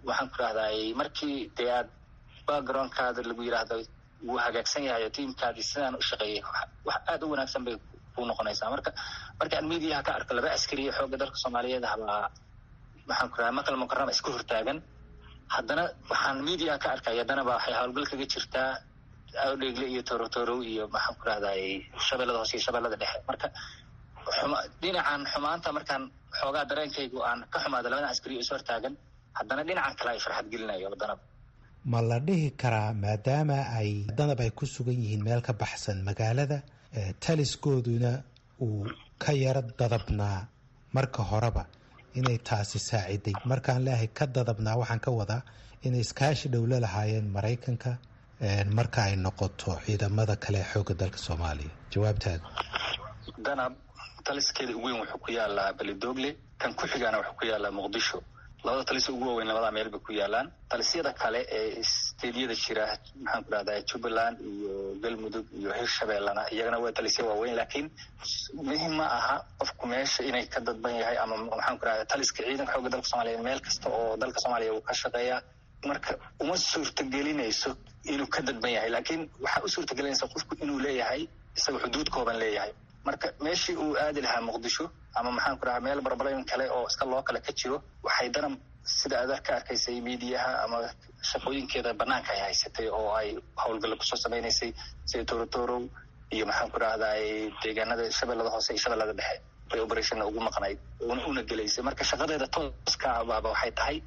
Waxaan ku rahday markii dee aad backgroundkaada lagu yidhaahdo wuu hagaagsan yahay oo tiimkaadii sidaan u shaqeeyay, wax aad u wanaagsan bay ku noqonaysaa. Marka marka aan mediaha ka arko laba askariya xoogga dalka Soomaaliyeed habaa, waxaan ku rahay Makal Mukarama iska hortaagan, haddana waxaan media ka arkay haddana ba waxay howlgal kaga jirtaa Awdheegle iyo Torotorow iyo maxaan ku rahday Shabeellada Hoose iyo Shabeellada Dhexe. Marka xuma dhinacan xumaanta markaan xoogaa dareenkaygu aan ka xumaado labadan askari is hortaagan, haddana dhinacan kale ay farxad gelinayo Danab. Ma la dhihi karaa, maadaama ay Danab ay ku sugan yihiin meel ka baxsan magaalada, taliskooduna uu ka yaro dadabnaa marka horeba, inay taasi saaciday? Markaan leeahay ka dadabnaa, waxaan ka wadaa inay iskaashi dhow la lahaayeen Maraykanka marka ay noqoto ciidamada kale ee xoogga dalka Soomaaliya. Jawaabtaada? Danab taliskeeda ugu weyn wuxuu ku yaalaa Belidogle, kan ku xigaana wuxuu ku yaalaa Muqdisho. Labada talis ugu waaweyn labadaa meel bay ku yaalaan. Talisyada kale ee steedyada jira, maxaan ku rahdaa Jubbaland iyo Galmudug iyo Hirshabeellana, iyagana waa talisya waaweyn, laakiin muhim ma aha qofku meesha inay ka dadban yahay ama maxaan ku rahdaa taliska ciidanka xoogga dalka Soomaaliya meel kasta oo dalka Soomaaliya uu ka shaqeeyaa. Marka uma suurtagelinayso inuu ka dadban yahay, laakiin waxaa u suurtagelinaysa qofku inuu leeyahay isaga xuduud kooban leeyahay. Marka meeshii uu aadi lahaa Muqdisho ama maxaan ku rahaa meel barbalooyin kale oo iska loo kale ka jiro, waxay Danab sida aad ka arkaysay miidiyaha ama shaqooyinkeeda banaanka ay haysatay oo ay howlgalla kusoo samaynaysay sida Torotorow iyo maxaan ku rahday deegaanada Shabeellada Hoose iyo Shabeellada Dhexe bay operationna ugu maqnayd una gelaysay. Marka shaqadeeda tooska baaba waxay tahay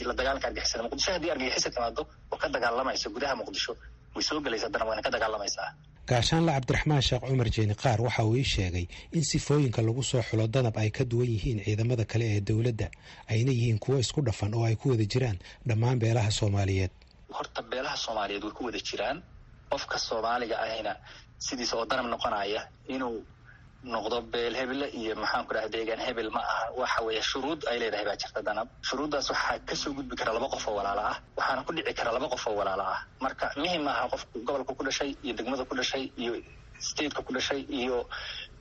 la dagaalanka argixisada Muqdisho. Haddii argixisa timaado oo ka dagaalamayso gudaha Muqdisho, way soo gelaysaa Danab, wayna ka dagaalamaysaa. Gaashaanle Cabdiraxmaan Sheekh Cumar Jeeni Qaar waxa uu ii sheegay in sifooyinka lagu soo xulo Danab ay ka duwan yihiin ciidamada kale ee dowladda, ayna yihiin kuwo isku dhafan oo ay ku wada jiraan dhammaan beelaha Soomaaliyeed. Horta beelaha Soomaaliyeed way ku wada jiraan. Qofka Soomaaliga ahina sidiisa oo Danab noqonaya inuu noqdo beel hebele iyo maxaan ku dhaha deegaan hebel ma aha. Waxa weeye shuruud ay leedahay baa jirta Danab. Shuruuddaas waxaa kasoo gudbi kara laba qof oo walaala ah, waxaana ku dhici kara laba qof oo walaala ah. Marka muhim maaha qofku gobolka ku dhashay iyo degmada ku dhashay iyo stateka ku dhashay iyo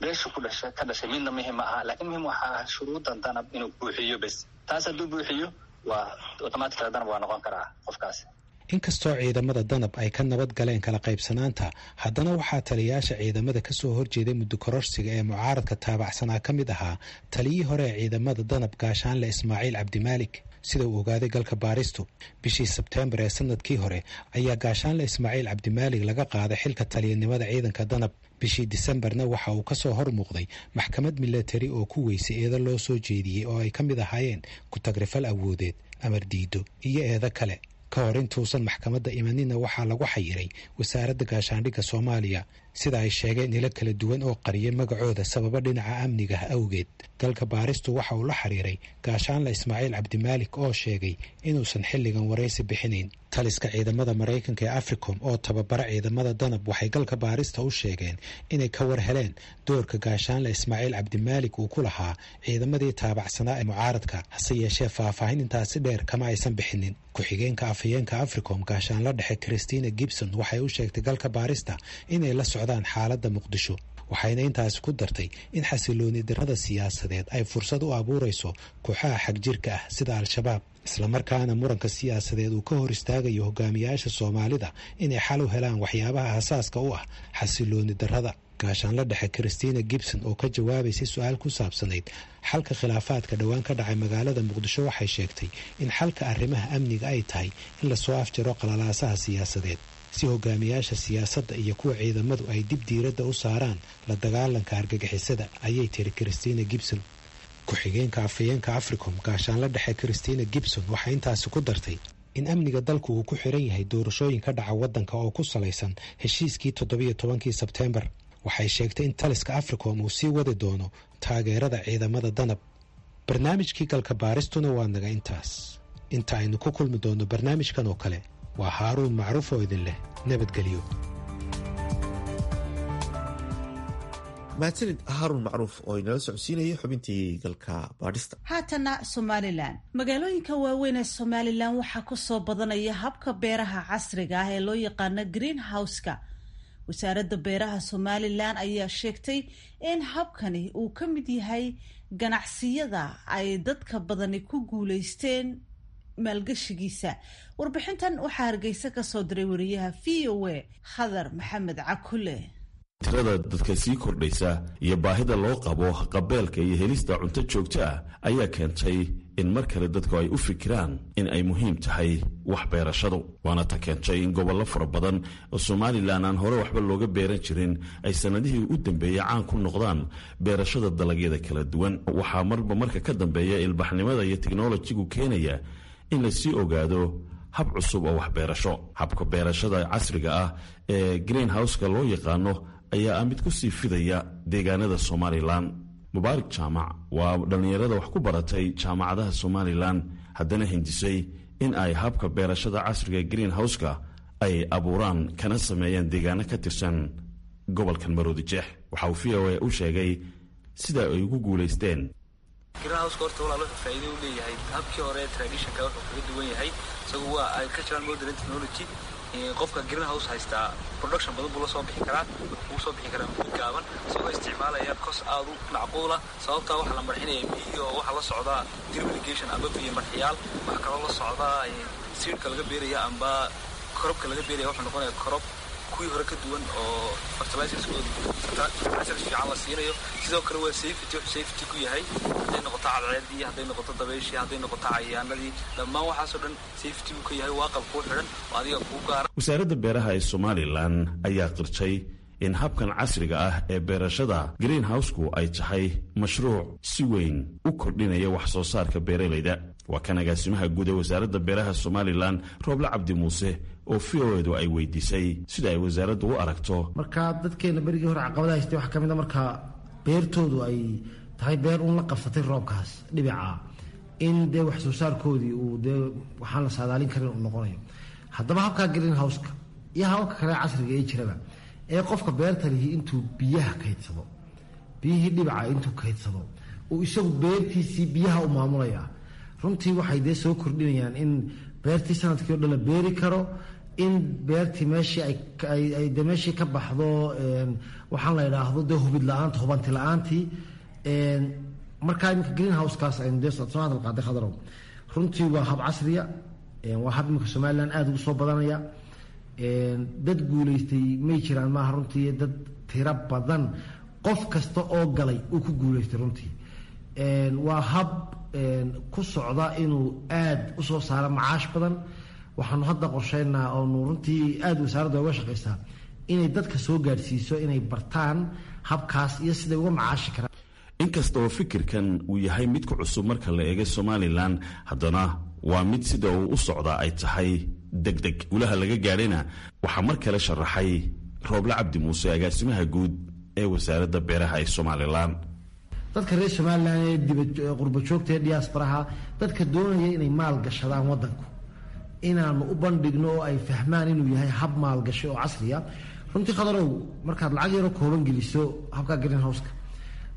beesha ku dhashay ka dhashay, midna muhim ma aha, laakiin muhim waxaa ah shuruuddan Danab inuu buuxiyo bes. Taas hadduu buuxiyo, waa automatically Danab waa noqon karaa qofkaasi. Inkastoo ciidamada Danab ay ka nabad galeen kala qaybsanaanta, haddana waxaa taliyayaasha ciidamada ka soo horjeeday muddo kororsiga ee mucaaradka taabacsanaa ka mid ahaa taliyii hore ee ciidamada Danab, Gaashaanle Ismaaciil Cabdimaalik. Sida uu ogaaday galka baaristu, bishii Sebteembar ee sanadkii hore ayaa Gaashaanle Ismaaciil Cabdimaalik laga qaaday xilka taliyanimada ciidanka Danab. Bishii Disembarna waxa uu kasoo hor muuqday maxkamad milatari oo ku weysay eedo loo soo jeediyey oo ay ka mid ahaayeen ku-tagrifal awoodeed, amar diido iyo eedo kale. Ka hor intuusan maxkamadda imanina waxaa lagu xayiray wasaaradda gaashaandhigga Soomaaliya. Sida ay sheegeen ilo kala duwan oo qariyay magacooda sababo dhinaca amniga ah awgeed. Galka baaristu waxa uu la xiriiray gaashaanle Ismaaciil Cabdimaalik oo sheegay inuusan xilligan waraysi bixinayn. Taliska ciidamada Maraykanka ee Africom oo tababara ciidamada Danab waxay galka baarista u sheegeen inay ka war heleen doorka gaashaanle Ismaaciil Cabdimaalik uu ku lahaa ciidamadii taabacsanaa ee mucaaradka, hase yeeshee faahfaahin intaasi dheer kama aysan bixinin. Ku-xigeenka afhayeenka Africom gaashaanla dhexe Christina Gibson waxay u sheegtay galka baarista inay la socdaan xaaladda Muqdisho, waxayna intaasi ku dartay in xasilooni darrada siyaasadeed ay fursad u abuurayso kooxaha xagjirka ah sida Al-Shabaab, islamarkaana muranka siyaasadeed uu ka hor istaagayo hogaamiyaasha Soomaalida inay xal u helaan waxyaabaha asaaska u ah xasilooni darrada. Gaashaanla dhexe Christina Gibson oo ka jawaabaysay su-aal ku saabsanayd xalka khilaafaadka dhowaan ka dhacay magaalada Muqdisho waxay sheegtay in xalka arrimaha amniga ay tahay in lasoo afjaro qalalaasaha siyaasadeed si hogaamiyaasha siyaasadda iyo kuwa ciidamadu ay dib diiradda u saaraan la dagaalanka argagixisada, ayay tiri Christina Gibson. Ku-xigeenka afhayeenka Africom gaashaanla dhexe Christina Gibson waxay intaasi ku dartay in amniga dalku uu ku xiran yahay doorashooyin ka dhaca waddanka oo ku salaysan heshiiskii toddobiyo tobankii Sebteembar. Waxay sheegtay in taliska Africom uu sii wadi doono taageerada ciidamada Danab. Barnaamijkii galka baaristuna waa naga intaas. Inta aynu ku kulmi doono barnaamijkan oo kale, waa Haaruun Macruuf oo idin leh nabadgelyo. Mahadsanid Haaruun Macruuf oo inala socodsiinayay xubintii galka baadhista. Haatana Somalilan, magaalooyinka waaweyn ee Somalilan waxaa ku soo badanaya habka beeraha casriga ah ee loo yaqaano green house-ka. Wasaaradda beeraha Somalilan ayaa sheegtay in habkani uu ka mid yahay ganacsiyada ay dadka badani ku guuleysteen maalgashigiisa. Warbixintan waxaa Hargeysa ka soo diray wariyaha V O A Khadar Maxamed Cakule. Tirada dadka sii kordhaysa iyo baahida loo qabo qabeelka iyo helista cunto joogto ah ayaa keentay in mar kale dadku ay u fikiraan in ay muhiim tahay wax beerashadu. Waana ta keentay in gobollo fara badan oo Somalilan aan hore waxba looga beeran jirin ay sannadihii u dambeeyey caan ku noqdaan beerashada dalagyada kala duwan. Waxaa marba marka ka dambeeya ilbaxnimada iyo teknolojigu keenaya in la sii ogaado hab cusub oo waxbeerasho. Habka beerashada casriga ah ee green houseka loo yaqaano ayaa ah mid ku sii fidaya deegaanada Somalilan. Mubaarak Jaamac waa dhallinyarada wax ku baratay jaamacadaha Somalilan, haddana hindisay in ay habka beerashada casriga green houseka ay abuuraan kana sameeyaan deegaano ka tirsan gobolkan Maroodi Jeex. Waxa uu V O A u sheegay sida ay ugu guulaysteen. Greenhouse horta walaal wuxuu faa'iido u leeyahay habkii hore traditionka wuxuu kaga duwan yahay isagu waa agricultural modern technology. Qofka greenhouse haystaa production badan buu la soo bixi karaa, wuxuu kuu soo bixi karaa muddo gaaban isagoo isticmaalaya kos aad u macquula. Sababtaa waxaa la marxinaya biyo oo waxaa la socdaa drip irrigation amba biyo marxiyaal, waxaa kaloo la socdaa seedka laga beeraya amba korobka laga beeraya wuxuu noqonaya korob kuwii hore ka duwan oo fertilizers fiican la siinayo. Sidoo kale waa safety, wuxuu safety ku yahay hadday noqoto cadceedii, hadday noqoto dabayshii, hadday noqoto cayayaanadii, dhammaan waxaasoo dhan safety buu ka yahay. Waa qalab kuu xidhan oo adiga kuu gaara. Wasaaradda beeraha ee Somalilan ayaa qirtay in habkan casriga ah ee beerashada green house-ku ay tahay mashruuc si weyn u kordhinaya wax soo saarka beeralayda. Waa kan agaasimaha guud ee wasaaradda beeraha Somalilan Rooble Cabdi Muuse oo V O edu ay weydiisay sida ay wasaaraddu u aragto. Marka dadkeena berigii hore caqabada haystay waxaa ka mid a marka beertoodu ay tahay beer uun la qabsatay roobkaas dhibica, in dee wax soo saarkoodii uu dee waxaan la saadaalin karin uu noqonayo. Haddaba habka green house-ka iyo hababka kale casriga ee jiraba ee qofka beerta lihi intuu biyaha kaydsado, biyihii dhibica intuu kaydsado uu isagu beertiisii biyaha u maamulaya, runtii waxay dee soo kordhinayaan in beertii sanadkii o dhan la beeri karo, in beertii meeshii ay de meeshii ka baxdo waxaan la idhaahdo dee hubid la-aanta, hubanti la-aantii. Markaa iminka green house-kaas aynu dee soo hadal qaaday Khadarow, runtii waa hab casriya, waa hab iminka Somaliland aada ugu soo badanaya. Dad guulaystay may jiraan maaha runtii, dad tiro badan qof kasta oo galay uu ku guulaystay runtii. Waa hab ku socda inuu aada u soo saaro macaash badan. Waxaanu hadda qorsheynaa oonu runtii aada wasaaradda uga shaqaysaa inay dadka soo gaadhsiiso inay bartaan habkaas iyo siday uga macaashi karaan. Inkasta oo fikirkan uu yahay mid ku cusub marka la eego Somalilan, haddana waa mid sida uu u socdaa ay tahay degdeg. Guulaha laga gaadhayna waxaa mar kale sharaxay Rooble Cabdi Muuse, agaasimaha guud ee wasaaradda beeraha ee Somalilan. Dadka reer Somalilan ee dibaqurba joogta ee diasparaha, dadka doonaya inay maal gashadaan wadanku, inaanu u bandhigno oo ay fahmaan inuu yahay hab maalgashi oo casriya. Runtii Khadarow, markaad lacag yaroo kooban geliso habka greenhouseka,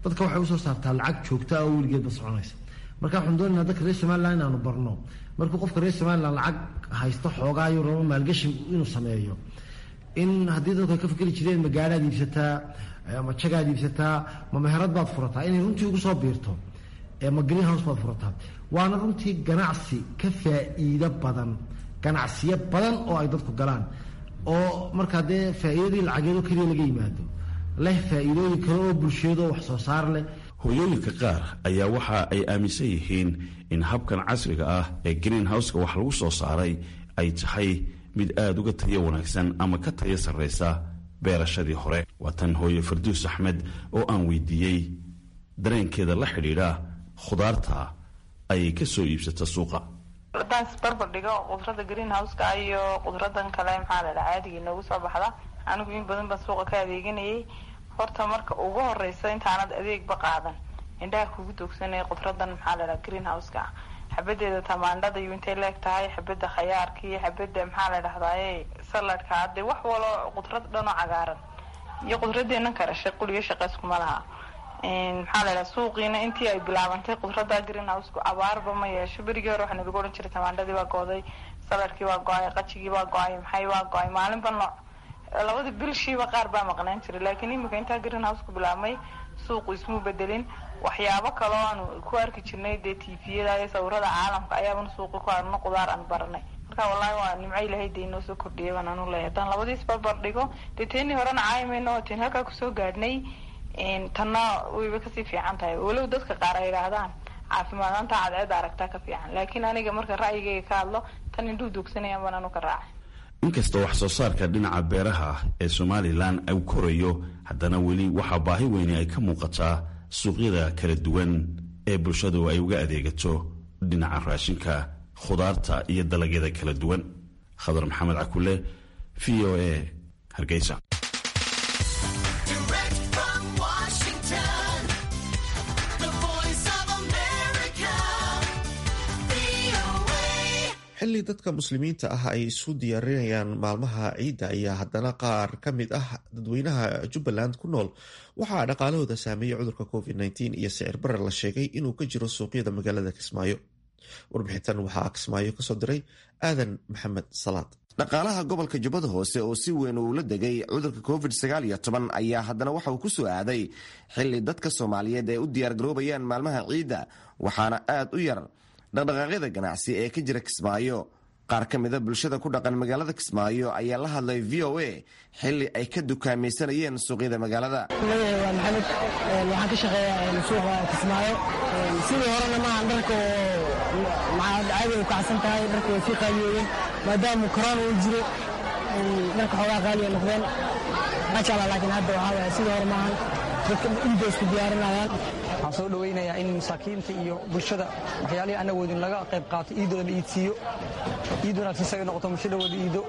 dadka waxay usoo saartaa lacag joogta oo weligeedba soconaysa. Marka waxaan doonaynaa dadka reer Somalilan inaanu barno, markuu qofka reer Somalilan lacag haysto xoogaayo rabo maalgashi inuu sameeyo, in haddii dadku ay ka fikri jireen ma gaadhaad iibsataa, ma jagaad iibsataa, ma meherad baad furataa, inay runtii ugu soo biirto ma greenhouse baad furataa. Waana runtii ganacsi ka faa'iido badan ganacsiyo badan oo ay dadku galaan, oo markaa dee faa'iidadii lacageedoo keliya laga yimaado leh faa'iidooyin kale oo bulsheed oo wax soo saar leh. Hooyooyinka qaar ayaa waxa ay aaminsan yihiin in habkan casriga ah ee greenhouseka wax lagu soo saaray ay tahay mid aada uga tayo wanaagsan ama ka tayo sarraysa beerashadii hore. Waa tan hooye Farduus Axmed oo aan weydiiyey dareenkeeda la xidhiidha khudaarta ay ka soo iibsata suuqa. Haddaan isbarbar dhigo qudrada greenhouseka iyo qudradan kale, maxaa la dhaha, caadiga inoogu soo baxda, anigu in badan baan suuqa ka adeeganayay. Horta marka ugu horeysa intaanad adeegba qaadan, indhaha kugu doogsanaya qudradan, maxaa la dhaha, greenhouseka ah, xabadeeda tamaandhada iyo intay leeg tahay, xabada khayaarka iyo xabada, maxaa la dhahdaye, saladka, hadde wax walo qudrad dhan oo cagaaran iyo qudradeena karashay quliyo shaqeyskuma laha. Maxaa la dhaha, suuqiina intii ay bilaabantay qudrada greenhousku abaarba ma yeesho. Berigii hore waxaa nalagu odhan jiray tamaandhadii baa gooday, saladkii waa go-ay, qajigii waa go-ay, maxay waa go-ay, maalinba nooc, labada bilshiiba qaar baa maqnaan jiray. Laakiin imika intaa greenhousku bilaabmay suuqu ismuu bedelin. Waxyaabo kaloo aanu ku arki jirnay dee tviyada iyo sawirada caalamka ayaabanu suuqi ku arno, qudaar aan baranay. Marka wallahi waa nimco Ilahay dee inoo soo kordhiyay baan anu leeyahay. Haddaan labadiis barbar dhigo, dee teenii horena caayimayno oo teen halkaa kusoo gaadhnay, tanna wayba kasii fiican tahay, walow dadka qaar ay yidhaahdaan caafimaadaanta cadceeda aragtaa ka fiican. Laakiin aniga marka ra'yigayga ka hadlo, tan indhuu doogsanayaan baan anu ka raacay. Inkastoo wax soo saarka dhinaca beeraha ee Somalilan uu korayo, haddana weli waxaa baahi weyni ay ka muuqataa suuqyada kala duwan ee bulshadu ay uga adeegato dhinaca raashinka, khudaarta iyo dalagyada kala duwan. Khadar Maxamed Cakule, V O A, Hargeysa. Xilli dadka muslimiinta ah ay isu diyaarinayaan maalmaha ciidda ayaa haddana qaar ka mid ah dadweynaha Jubbaland ku nool waxaa dhaqaalahooda saameeyey cudurka covid nineteen iyo sicir barar la sheegay inuu ka jiro suuqyada magaalada Kismaayo. Warbixintan waxaa Kismaayo kasoo diray Aadan Maxamed Salaad. Dhaqaalaha gobolka Jubbada Hoose oo si weyn uula degay cudurka covid sagaal iyo toban ayaa haddana waxa uu ku soo aaday xilli dadka Soomaaliyeed ay u diyaargaroobayaan maalmaha ciidda, waxaana aad u yar dhaqdhaqaaqyada ganacsi ee ka jira Kismaayo. Qaar ka mida bulshada ku dhaqan magaalada Kismaayo ayaa la hadlay V O A xilli ay ka dukaamaysanayeen suuqyada magaalada. Magacay waa Maxamed, waxaan ka shaqeeyaa suuqa Kismaayo. Sidii horena maahan, dharka oo caadi u kacsan tahay, dharka way sii qaaliyoobeen maadaama korona uu jiro, dharka xoogaa qaaliya noqdeen maasha Allah. Laakiin hadda waxaa waaye sidii hore maahan, dadka iidda isku diyaarinayaan. Waxaan soo dhowaynayaa in masaakiinta iyo bulshada waxyaalihii aan awoodin laga qayb qaato, iidooda la iidsiiyo, iid wanaagsan saga noqoto, bulshadhawooda iido,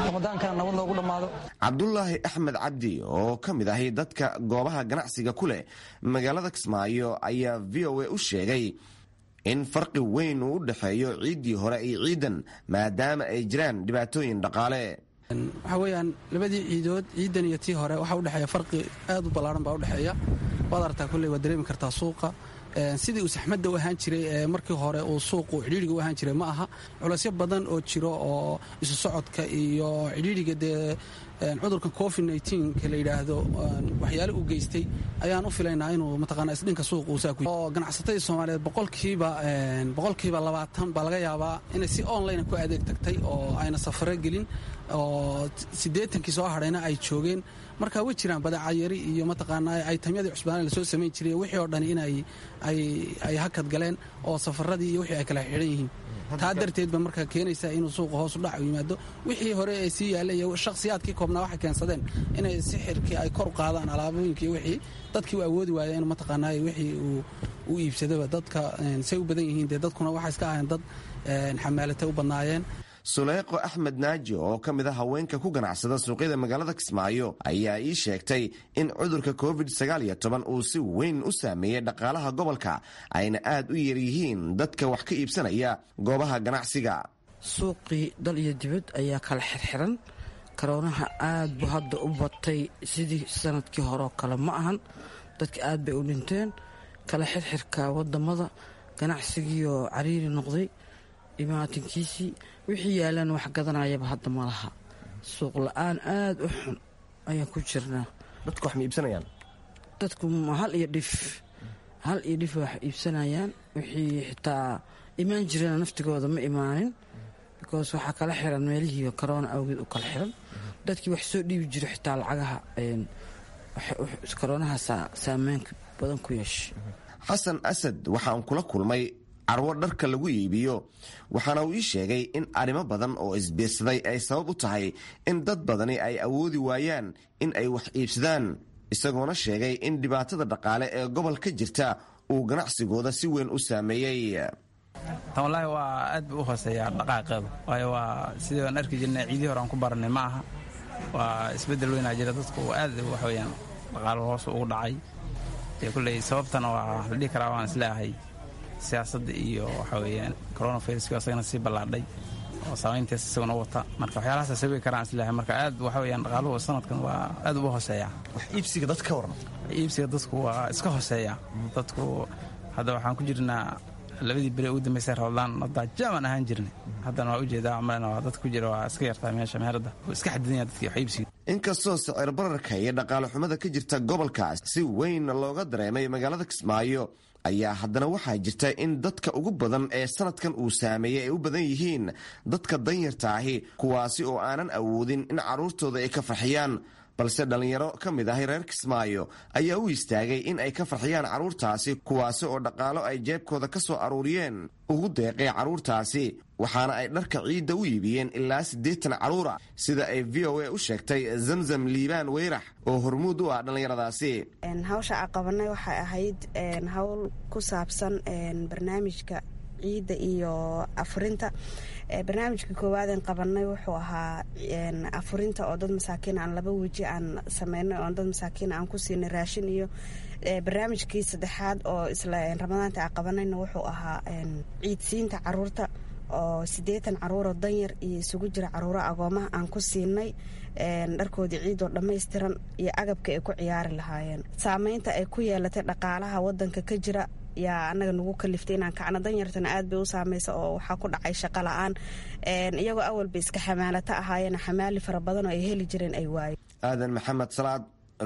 ramadaankana nabad loogu dhammaado. Cabdulaahi Axmed Cabdi oo ka mid ahi dadka goobaha ganacsiga ku leh magaalada Kismaayo ayaa V O A u sheegay in farqi weyn uu u dhexeeyo ciiddii hore iyo ciidan, maadaama ay jiraan dhibaatooyin dhaqaale. Waxaa weeyaan labadii ciidood, ciidan iyo tii hore, waxaa udhexeeya farqi aad u ballaaran baa udhexeeya. Waad aragtaa, kulley waad dareemi kartaa suuqa sidii uu saxmadda u ahaan jiray ee markii hore uu suuqu cidhiidhiga u ahaan jiray ma aha. Culaysyo badan oo jiro oo isu socodka iyo cidhiidhiga dee cudurka covid nka la yidhaahdo waxyaale u geystay ayaan u filaynaa inuu mataqaanaa isdhinka suuqa uu saa ku oo ganacsatadii Soomaaliyeed boqolkiiba boqolkiiba labaatan baa laga yaabaa inay si online ku adeeg tagtay oo ayna safaro gelin, oo siddeetankii soo hadhayna ay joogeen. Marka way jiraan badeeca yari iyo mataqaanaa aytamyadii cusbaana lasoo samayn jiray, wixii oo dhan inay ay ay hakad galeen oo safaradii iyo wixii ay kala xidhan yihiin. Taa darteed ba marka keenaysa inuu suuqa hoos u dhac u yimaado. Wixii hore ee sii yaallay iyo shakhsiyaadkii koobnaa waxay keensadeen inay sixirkii ay kor u qaadaan alaabooyinkii, wixii dadkii u awoodi waaya inuu mataqaanaa wixii uu u iibsadaba. Dadka say u badan yihiin dee dadkuna waxay iska ahayn dad xamaalata u badnaayeen. Suleeqo Axmed Naaji oo ka mid a haweenka ku ganacsada suuqyada magaalada Kismaayo ayaa ii sheegtay in cudurka covid sagaal iyo toban uu si weyn u saameeyey dhaqaalaha gobolka, ayna aad u yaryihiin dadka wax ka iibsanaya goobaha ganacsiga. Suuqii dal iyo dibad ayaa kala xirxiran. Karoonaha aad buu hadda u batay, sidii sanadkii horeoo kale ma ahan. Dadka aad bay u dhinteen. Kala xirxirka wadamada, ganacsigiioo cariiri noqday, imaatinkiisii wixii yaalaan wax gadanayaba hadda ma laha. Suuq la-aan aad u xun ayaan ku jirnaa. Dadku wax ma iibsanayaan? Dadku hal iyo dhif hal iyo dhif wax iibsanayaan. Wixii xitaa imaan jireen naftigooda ma imaanin, because waxaa kala xiran meelihii karoona awgeed u kala xiran. Dadkii wax soo dhiibi jiro xitaa lacagaha karoonaha saameyn badan ku yeeshay. Xasan Asad waxaan kula kulmay carwo dharka lagu iibiyo, waxaana uu ii sheegay in arrimo badan oo isbiirsaday ay sabab u tahay in dad badani ay awoodi waayaan in ay wax iibsadaan, isagoona sheegay in dhibaatada dhaqaale ee gobol ka jirta uu ganacsigooda si weyn u saameeyey. Tan wallaahi waa aad buu u hooseeyaa dhaqaaqeedu, waayo waa sidii aan arki jirnay ciidii hore aan ku baranay ma aha. Waa isbeddel weynaa jira, dadku aad wax weeyaan dhaqaalo hoos ugu dhacay. Dee kulley sababtana waa la dhihi karaa waan isleeyahay siyaasadda iyo waxa weeyaan coronaviruska isagana sii ballaadhay oo saameyntiisa isaguna wata. Marka waxyaalahaas sababi karaan isleeyahay. Marka aad waxa weeyaan dhaqaaluhu sanadkan waa aad ugu hooseeyaa. Wax iibsiga dadka ka waran? Iibsiga dadku waa iska hooseeya. Dadku hadda waxaan ku jirnaa labadii beri ugu dambeysay Ramadaan, hadda jaaman ahaan jirnay, haddana waa ujeedaa malena waa dad ku jira, waa iska yartaa meesha meherada, wuu iska xadidanya dadkii wax iibsiga. Inkastoo sicir bararka iyo dhaqaale xumada ka jirta gobolka si weyn looga dareemay magaalada Kismaayo, ayaa haddana waxaa jirta in dadka ugu badan ee sanadkan uu saameeyey ay u badan yihiin dadka danyarta ahi, kuwaasi oo aanan awoodin in carruurtooda ay ka farxiyaan. Balse dhallinyaro ka mid ahi reer Kismaayo ayaa u istaagay in ay ka farxiyaan carruurtaasi, kuwaasi oo dhaqaalo ay jeebkooda ka soo aruuriyeen ugu deeqay carruurtaasi, waxaana ay dharka ciidda u iibiyeen ilaa siddeetan carruura, sida ay V O A u sheegtay Zamzam Liibaan Weyrax oo hormuud u ah dhallinyaradaasi. Hawsha aan qabanay waxay ahayd hawl ku saabsan barnaamijka ciidda iyo afurinta. Barnaamijka koowaadeen qabanay wuxuu ahaa afurinta oo dad masaakiin aan laba weji aan sameynay oo dad masaakiin aan ku siinay raashin, iyo barnaamijkii saddexaad oo isla Ramadaanta aan qabanayna wuxuu ahaa ciidsiinta caruurta oo siddeetan caruuroo danyar iyo isugu jira caruuro agoomaha aan ku siinay dharkoodii ciidoo dhammaystiran iyo agabka ay ku ciyaari lahaayeen. Saameynta ay ku yeelatay dhaqaalaha wadanka ka jira yaa anaga nagu kaliftay inaan kacno. Danyartana aad bay u saameysa oo waxaa ku dhacay shaqo la-aan, iyagoo awalba iska xamaalata ahaayeen, xamaali fara badan oo ay heli jireen ay waayeen. Aadan Maxamed Salaad,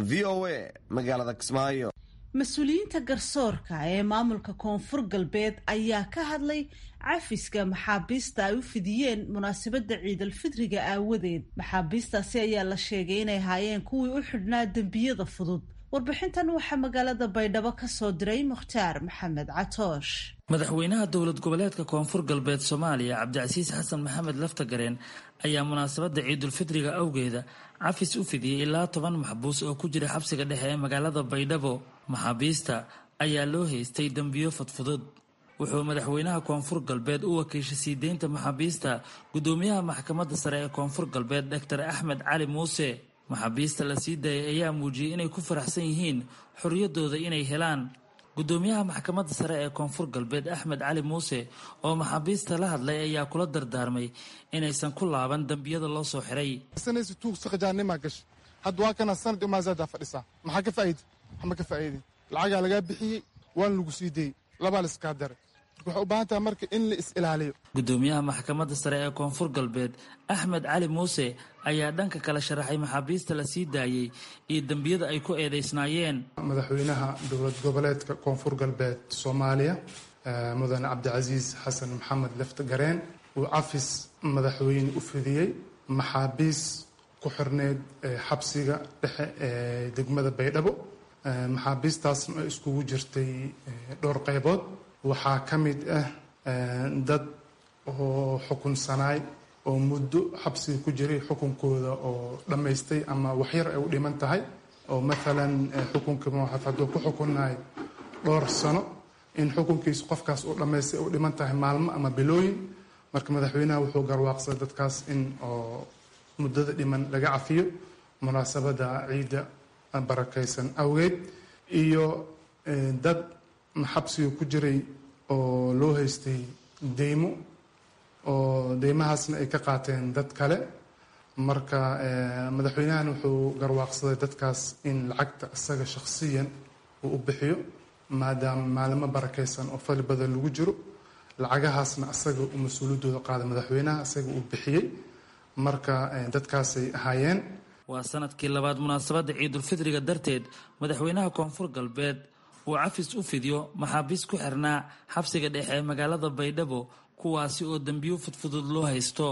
V O A, magaalada Kismaayo. Mas-uuliyiinta garsoorka ee maamulka Koonfur Galbeed ayaa ka hadlay cafiska maxaabiista ay u fidiyeen munaasabadda ciidalfidriga aawadeed. Maxaabiistaasi ayaa la sheegay inay haayeen kuwii u xidhnaa dembiyada fudud. Warbixintan waxaa magaalada Baydhabo ka soo diray Mukhtaar Maxamed Catoosh. Madaxweynaha dowlad goboleedka Koonfur Galbeed Soomaaliya Cabdicasiis Xasan Maxamed Laftagareen ayaa munaasabadda ciidulfidriga awgeeda cafis u fidiyey ilaa toban maxbuus oo ku jira xabsiga dhexe ee magaalada Baydhabo. Maxaabiista ayaa loo haystay dembiyo fudfudud. Wuxuu madaxweynaha Koonfur Galbeed u wakiishay sii deynta maxaabiista gudoomiyaha maxkamadda sare ee Koonfur Galbeed Doctor Axmed Cali Muuse. Maxaabiista la sii daayay ayaa muujiyey inay ku faraxsan yihiin xorriyaddooda inay helaan. Gudoomiyaha maxkamadda sare ee Koonfur Galbeed Axmed Cali Muuse oo maxaabiista la hadlay ayaa kula dardaarmay inaysan ku laaban dembiyada loo soo xiray. Hadda waa kana sanad imaazadaa fadhisaa, maxaa ka faa'iida? Waxma ka faa'iidin. Lacagaa lagaa bixiyey, waana lagu sii deyey, labaa la iskaa daray. Marka waxay u baahan tahay marka in la is-ilaaliyo. Gudoomiyaha maxkamadda sare ee Koonfur Galbeed Axmed Cali Muuse ayaa dhanka kale sharaxay maxaabiista la sii daayey iyo dembiyada ay ku eedeysnaayeen. Madaxweynaha dowlad goboleedka Koonfur Galbeed Soomaaliya mudane Cabdicasiis Xasan Maxamed Laftagareen uu cafis madaxweyne u fidiyey maxaabiis ku xirneyd xabsiga dhexe ee degmada Baydhabo. Maxaabiistaasna ay iskugu jirtay dhowr qaybood. Waxaa ka mid ah dad oo xukunsanaay oo muddo xabsiga ku jiray, xukunkooda oo dhammaystay ama waxyar ay u dhiman tahay, oo maalan xukunka hadduu ku xukunnaay dhowr sano, in xukunkiisu qofkaas uu dhammaystay u dhiman tahay maalmo ama bilooyin. Marka madaxweynaha wuxuu garwaaqsaday dadkaas in oo muddada dhiman laga cafiyo munaasabada ciidda barakaysan awgeed, iyo dad xabsiga ku jiray oo loo haystay deymo oo deymahaasna ay ka qaateen dad kale. Marka madaxweynahan wuxuu garwaaqsaday dadkaas in lacagta isaga shakhsiyan uu u bixiyo, maadaama maalimo barakaysan oo fadli badan lagu jiro, lacagahaasna asaga uu mas-uuliyaddooda qaaday madaxweynaha, isaga uu bixiyey. Marka dadkaasay ahaayeen. Waa sanadkii labaad munaasabadda ciidulfidriga darteed madaxweynaha Koonfur Galbeed uu cafis u fidiyo maxaabiis ku xirnaa xabsiga dhexe ee magaalada Baydhabo, kuwaasi oo dembiyo fudfudud loo haysto.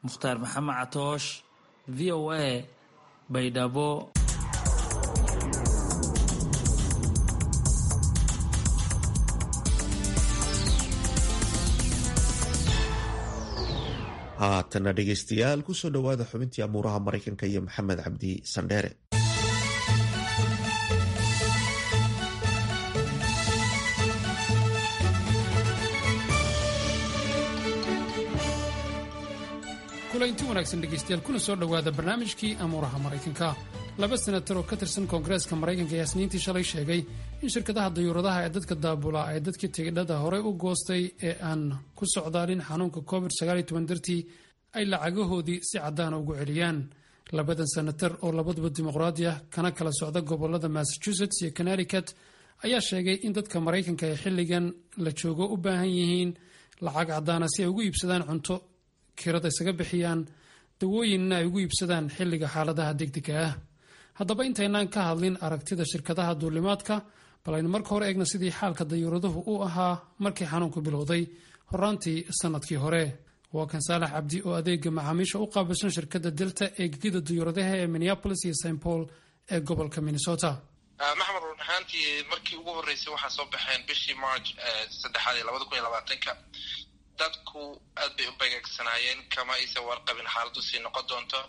Mukhtaar Maxamed Catoosh, V O A, Baydhabo. Haatana dhegaystayaal, kusoo dhowaada xubintii amuuraha Maraykanka iyo Maxamed Cabdi Sandheere. Kulanti wanaagsan dhegaystayaal, kuna soo dhowaada barnaamijkii amuuraha Maraykanka. Laba senatar oo ka tirsan Koongareeska Maraykanka ayaa Isniintii shalay sheegay in shirkadaha dayuuradaha ee dadka daabula ay dadkii tigidhada horey u goostay ee aan ku socdaalin xanuunka covid dartii ay lacagahoodii si caddaana ugu celiyaan. Labadan senatar oo labaduba dimuqraadi ah kana kala socda gobolada Massachusetts iyo Connecticut ayaa sheegay in dadka Maraykanka ay xilligan la joogo u baahan yihiin lacag caddaana si ay ugu iibsadaan cunto, kirada isaga bixiyaan, dawooyinna ay ugu iibsadaan xilliga xaaladaha degdega ah. Haddaba intaynaan ka hadlin aragtida shirkadaha duulimaadka, bal aynu marka hore eegna sidii xaalka dayuuraduhu u ahaa markii xanuunku bilowday horaantii sanadkii hore. Waa kan Saalax Cabdi oo adeega macaamiisha u qaabilsan shirkadda Delta ee gegida dayuuradaha ee Minneapolis iyo Saint Paul ee gobolka Minnesota. Maxmed, run ahaantii markii ugu horreysay waxaa soo baxeen bishii March saddexaad ee labada kun iyo labaatanka. Dadku aad bay u begeegsanaayeen, kama aysan warqabin xaaladdu sii noqon doonto.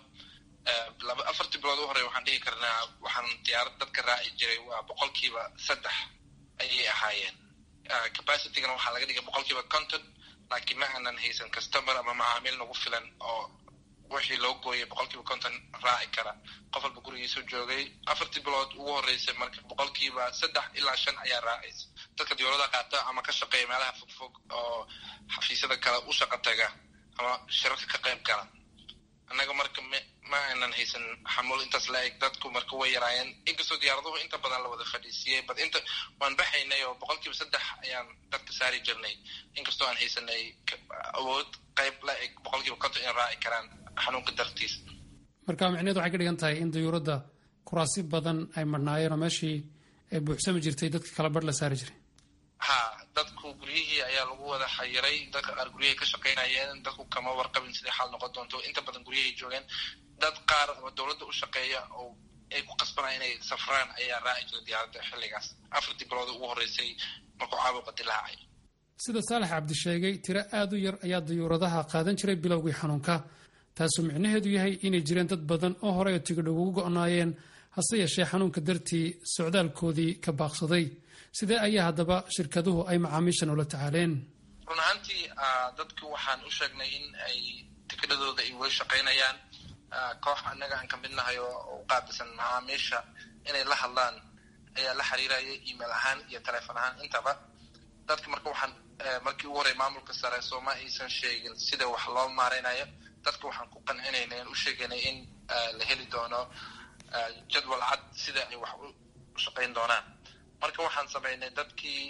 Laba afartii bilood u horey waxaan dhihi karnaa waxaan diyaarad dadka raaci jiray waa boqolkiiba saddex ayay ahaayeen. Capacitygana waxaa laga dhigay boqolkiiba konton, laakiin ma aanan haysan customer ama macaamiil nagu filan oo wixii loo gooyay boqolkiiba konton raaci kara. Qof walba gurigiisu joogay afartii bilood ugu horreysay. Marka boqolkiiba saddex ilaa shan ayaa raacaysa dadka diyaarada qaata ama ka shaqeeya meelaha fogfog oo xafiisyada kale u shaqa taga ama shirarka ka qayb gala. Annaga marka ma aanan haysan xamuul intaas la eg. Dadku marka way yaraayeen, inkastoo diyaaraduhu inta badan la wada fadhiisiiyey, but inta waan baxaynay oo boqolkiiba saddex ayaan dadka saari jirnay, inkastoo aan haysanay awood qayb la eg boqolkiiba konton in raaci karaan xanuunka dartiis. Marka micneheedu waxay ka dhigan tahay in dayuuradda kuraasi badan ay marhnaayeen oo meeshii ay buuxsami jirtay dadka kala barh la saari jiray. Ha, dadku guryihii ayaa lagu wada xayiray. Dadka qaar guryahay ka shaqaynayeen. Dadku kama warqabin siday xaal noqon doonto. Inta badan guryahay joogeen. Dad qaar ama dowladda u shaqeeya oo ay ku qasbanaya inay safraan ayaa raaci jiray diyaaradda xilligaas afartii bilood ugu horreysay markuu caabuqa dilaacay. Sida Saalax Cabdi sheegay, tiro aad u yar ayaa dayuuradaha qaadan jiray bilowgii xanuunka, taasoo micnaheedu yahay inay jireen dad badan oo horey oo tigidh ugu go'naayeen, hase yeeshee xanuunka dartii socdaalkoodii ka baaqsaday. Sidee ayaa haddaba shirkaduhu ay macaamiishan ula tacaaleen? Run ahaantii dadku waxaan u sheegnay in ay tikidhadooda ay weli shaqaynayaan. Koox annaga aan ka mid nahay oo u qaabilsan macaamiisha inay la hadlaan ayaa la xiriiraya email ahaan iyo telefoon ahaan intaba dadka. Marka waxaan markii ugu horey maamulka sare sooma aysan sheegin sida wax loo maareynayo. Dadka waxaan ku qancinaynay aan u sheegaynay in la heli doono jadwal cad sida ay wax u shaqayn doonaan. Marka waxaan samaynay dadkii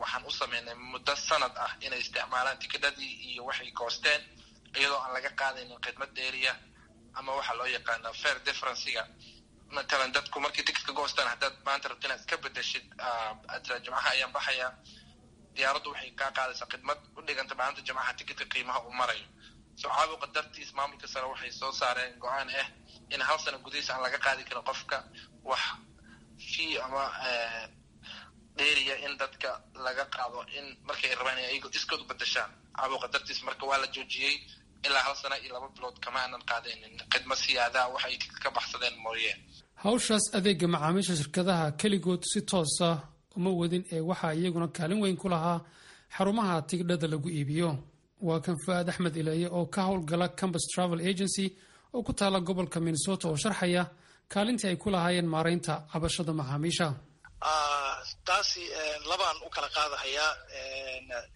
waxaan u samaynay muddo sanad ah inay isticmaalaan tikidhadii iyo waxay goosteen, iyadoo aan laga qaadaynin khidmad dheeriya ama waxaa loo yaqaana fare differencega. Matalan, dadku markay tikitka goostaan, haddaad maanta rabto inaad iska bedeshid, aad Jimcaha ayaan baxayaa, diyaaraddu waxay kaa qaadaysaa khidmad u dhiganta maalinta Jimcaha tikitka qiimaha uu marayo. So caabuqa dartiis maamulka sare waxay soo saareen go-aan ah in hal sano gudihiisa aan laga qaadi karin qofka wax fee ama dheeriya in dadka laga qaado in markay rabaan in ayago iskood u bedeshaan. Caabuqa dartiis marka waa la joojiyey ilaa hal sano iyo laba bilood kama aanan qaadaynin khidma siyaadaa waxay ka baxsadeen mooye. Hawshaas adeega macaamiisha shirkadaha keligood si toosa uma wadin ee waxaa iyaguna kaalin weyn ku lahaa xarumaha tigidhada lagu iibiyo. Waa kan Fu'aad Axmed Ileeye oo ka howlgala Campus Travel Agency oo ku taala gobolka Minnesota oo sharxaya kaalintii ay ku lahaayeen maaraynta cabashada macaamiisha. Taasi labaan u kala qaadahayaa.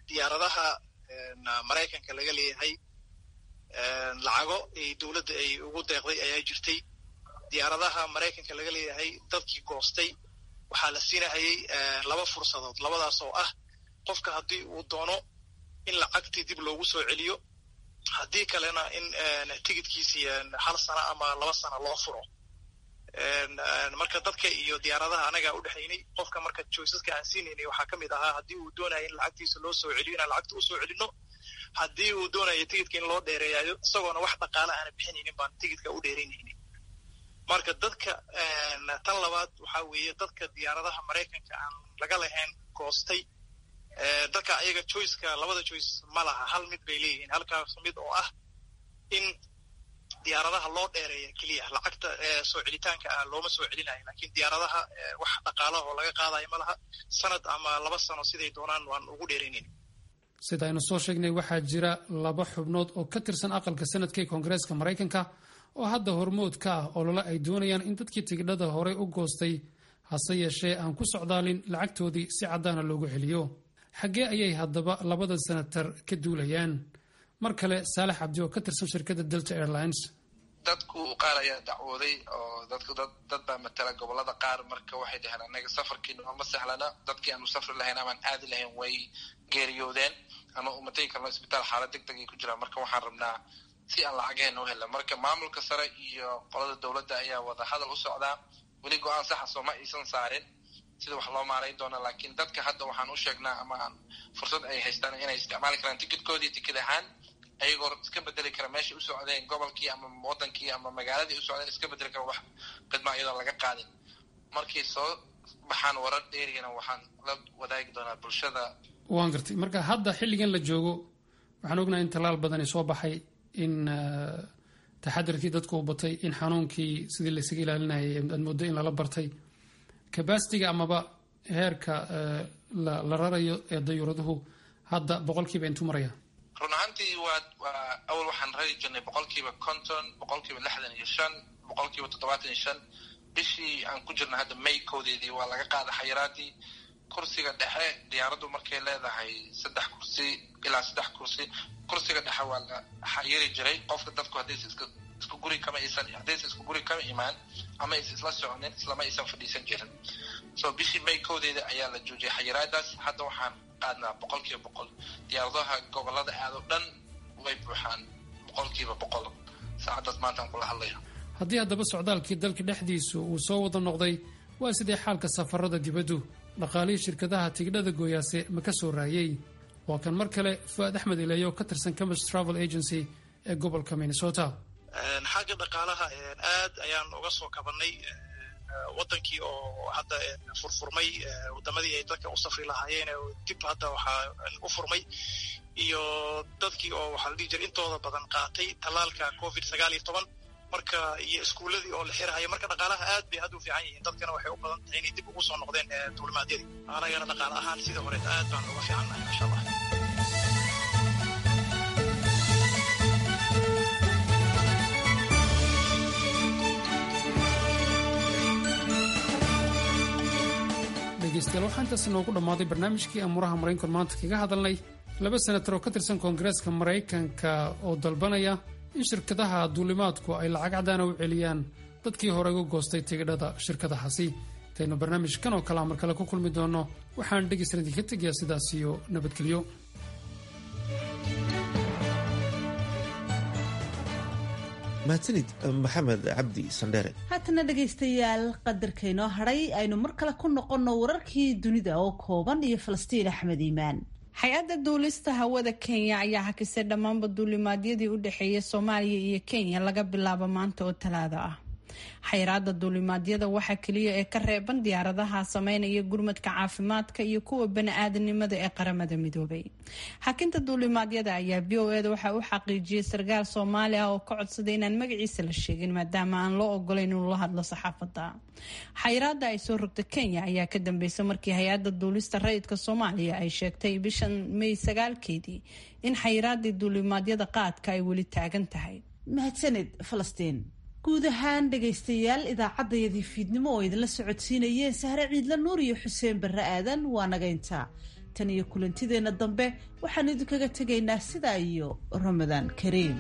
Diyaaradaha Maraykanka laga leeyahay lacago ay dowladda ay ugu deeqday ayaa jirtay. Diyaaradaha Maraykanka laga leeyahay dadkii goostay waxaa la siinahayay laba fursadood, labadaas oo ah qofka haddii uu doono in lacagtii dib loogu soo celiyo, haddii kalena in tigidkiisii hal sano ama laba sano loo furo. Marka dadka iyo diyaaradaha anagaa udhexaynay. Qofka marka choiceska aan siinaynay waxaa ka mid ahaa haddii uu doonayo in lacagtiisa loo soo celiyo inaan lacagta usoo celino, haddii uu doonayo tigidka in loo dheereeyayo isagoona wax dhaqaale aana bixinaynin baan tigidka u dheeraynaynin. Marka dadka tan labaad waxaa weeye dadka diyaaradaha Maraykanka aan laga lahayn goostay, dadka ayaga choiceka labada choice ma laha, hal mid bay leeyihiin, halkaas mid oo ah in diyaaradaha loo dheereeya keliya. Lacagta soo celitaanka ah looma soo celinayo, laakiin diyaaradaha wax dhaqaalaha oo laga qaadayo ma laha, sanad ama laba sano siday doonaan waan ugu dheeraynayn. Sida aynu soo sheegnay, waxaa jira laba xubnood oo ka tirsan aqalka sanadka ee Koongareeska Maraykanka oo hadda hormood ka ah olole ay doonayaan in dadkii tigidhada horey u goostay hase yeeshee aan ku socdaalin lacagtoodii si caddaana loogu celiyo. Xaggee ayay haddaba labada senatar ka duulayaan? Mar kale Saalax Cabdi oo ka tirsan shirkadda Delta Airlines. Dadku qaar ayaa dacwooday oo dadku dad dad baa matala gobolada qaar. Marka waxay dhaheen, annaga safarkii nooma sahlana, dadkii aanu safri lahayn amaan aadi lahayn way geeriyoodeen ama uma tegi karno isbitaal, xaalad deg deg ay ku jiraan. Marka waxaan rabnaa si aan lacagaheenna u helna. Marka maamulka sare iyo qolada dowladda ayaa wada hadal u socdaa. Weli go-aan saxa sooma aysan saarin sida wax loo maarayn doona, laakiin dadka hadda waxaan u sheegnaa ama aan fursad ay haystaan inay isticmaali karaan tikidkoodii tikid ahaan, ayagoo iska bedeli kara meeshay u socdeen, gobolkii ama wadankii ama magaaladii u socdeen iska bedeli kara, wax khidma iyadoon laga qaadin. Markay soo baxaan warar dheerigana waxaan la wadaagi doonaa bulshada. Waan gartay. Marka hadda xilligan la joogo waxaan ognahay in tallaal badani soo baxay, in taxadirkii dadku u batay, in xanuunkii sidii laysaga ilaalinayay aad mooddo in lala bartay. Capacityga amaba heerka la rarayo ee dayuuraduhu hadda boqolkiiba intuu maraya? Run ahaantii waa waa awal waxaan rari jirnay boqolkiiba konton, boqolkiiba lixdan iyo shan, boqolkiiba toddobaatan iyo shan. Bishii aan ku jirna hadda May koodeedii waa laga qaada xayiraadii. Kursiga dhexe diyaaraddu markay leedahay saddex kursi ilaa saddex kursi, kursiga dhexe waa la xayiri jiray qofka. Dadku haddaysa iska isku guri kama aysan haddaysa isku guri kama imaan ama aysa isla soconin, islama aysan fadhiisan jirin. So bishii May koodeeda ayaa la joojiyay xayiraadaas. Hadda waxaan qaadnaa boqolkiiba boqol. Diyaaradaha gobolada aad oo dhan way buuxaan boqolkiiba boqol saacaddaas maantaan kula hadlayo. Haddii haddaba socdaalkii dalka dhexdiisu uu soo wada noqday, waa sidee xaalka safarada dibaddu? Dhaqaalihii shirkadaha tigidhada gooyaase ma ka soo raayey? Waa kan mar kale Fu'aad Axmed Ileeyo ka tirsan Campus Travel Agency ee gobolka Minnesota. Xagga dhaqaalaha aad ayaan uga soo kabanay. Wadankii oo hadda furfurmay, wadamadii ay dadka u safri lahaayeen dib hadda waxaa u furmay, iyo dadkii oo waxaa la dhihi jiray intooda badan qaatay tallaalka Covid sagaal iyo toban, marka iyo iskuuladii oo la xirahayo. Marka dhaqaalaha aad bay hadda u fiican yihiin, dadkana waxay u badan tahay inay dib ugu soo noqdeen duulimaadyadii. Anagana dhaqaale ahaan sidii horeed aad baan uga fiicannahay, masha Allah. Dhegeystayaal, waxaa intaas inoogu dhammaaday barnaamijkii amuuraha Maraykanka maanta kaga hadalnay laba senatar oo ka tirsan Koongareeska Maraykanka oo dalbanaya in shirkadaha duulimaadku ay lacag caddaana u celiyaan dadkii hore uga goostay tigidhada shirkadahaasi. Intaynu barnaamijkan oo kalea mar kale ku kulmi doonno, waxaan dhegeysan idinka tegayaa sidaas iyo nabadgelyo. Mahadsanid Maxamed Cabdi Sandheere. Haatana dhegaystayaal, qadarka inoo hadhay aynu mar kale ku noqonno wararkii dunida oo kooban iyo Falastiin Axmed Iimaan. Hay-adda duulista hawada Kenya ayaa hakisay dhammaanba duulimaadyadii u dhexeeyay Soomaaliya iyo Kenya laga bilaabo maanta oo Talaado ah. Xayiraada duulimaadyada waxaa keliya ee ka reeban diyaaradaha sameynaya gurmadka caafimaadka iyo kuwa bani-aadanimada ee Qaramada Midoobay. Xakinta duulimaadyada ayaa V O eda waxaa u xaqiijiyay sarkaal Soomaali ah oo ka codsaday inaan magaciisa la sheegin maadaama aan loo ogolayn inuu la hadlo saxaafadda. Xayiraada ay soo rogta Kenya ayaa ka dambeysay markii hay-adda duulista rayidka Soomaaliya ay sheegtay bishan May sagaalkeedii in xayiraadii duulimaadyada qaadka ay weli taagan tahay. Mahadsanid Falastiin. Guud ahaan dhegaystayaal, idaacaddayadii fiidnimo oo idinla socodsiinayeen Sahre Ciidla Nuur iyo Xuseen Barre Aadan waa nagayntaa. Tan iyo kulantideenna dambe waxaan idinkaga tegaynaa sidaa iyo Ramadaan kariim.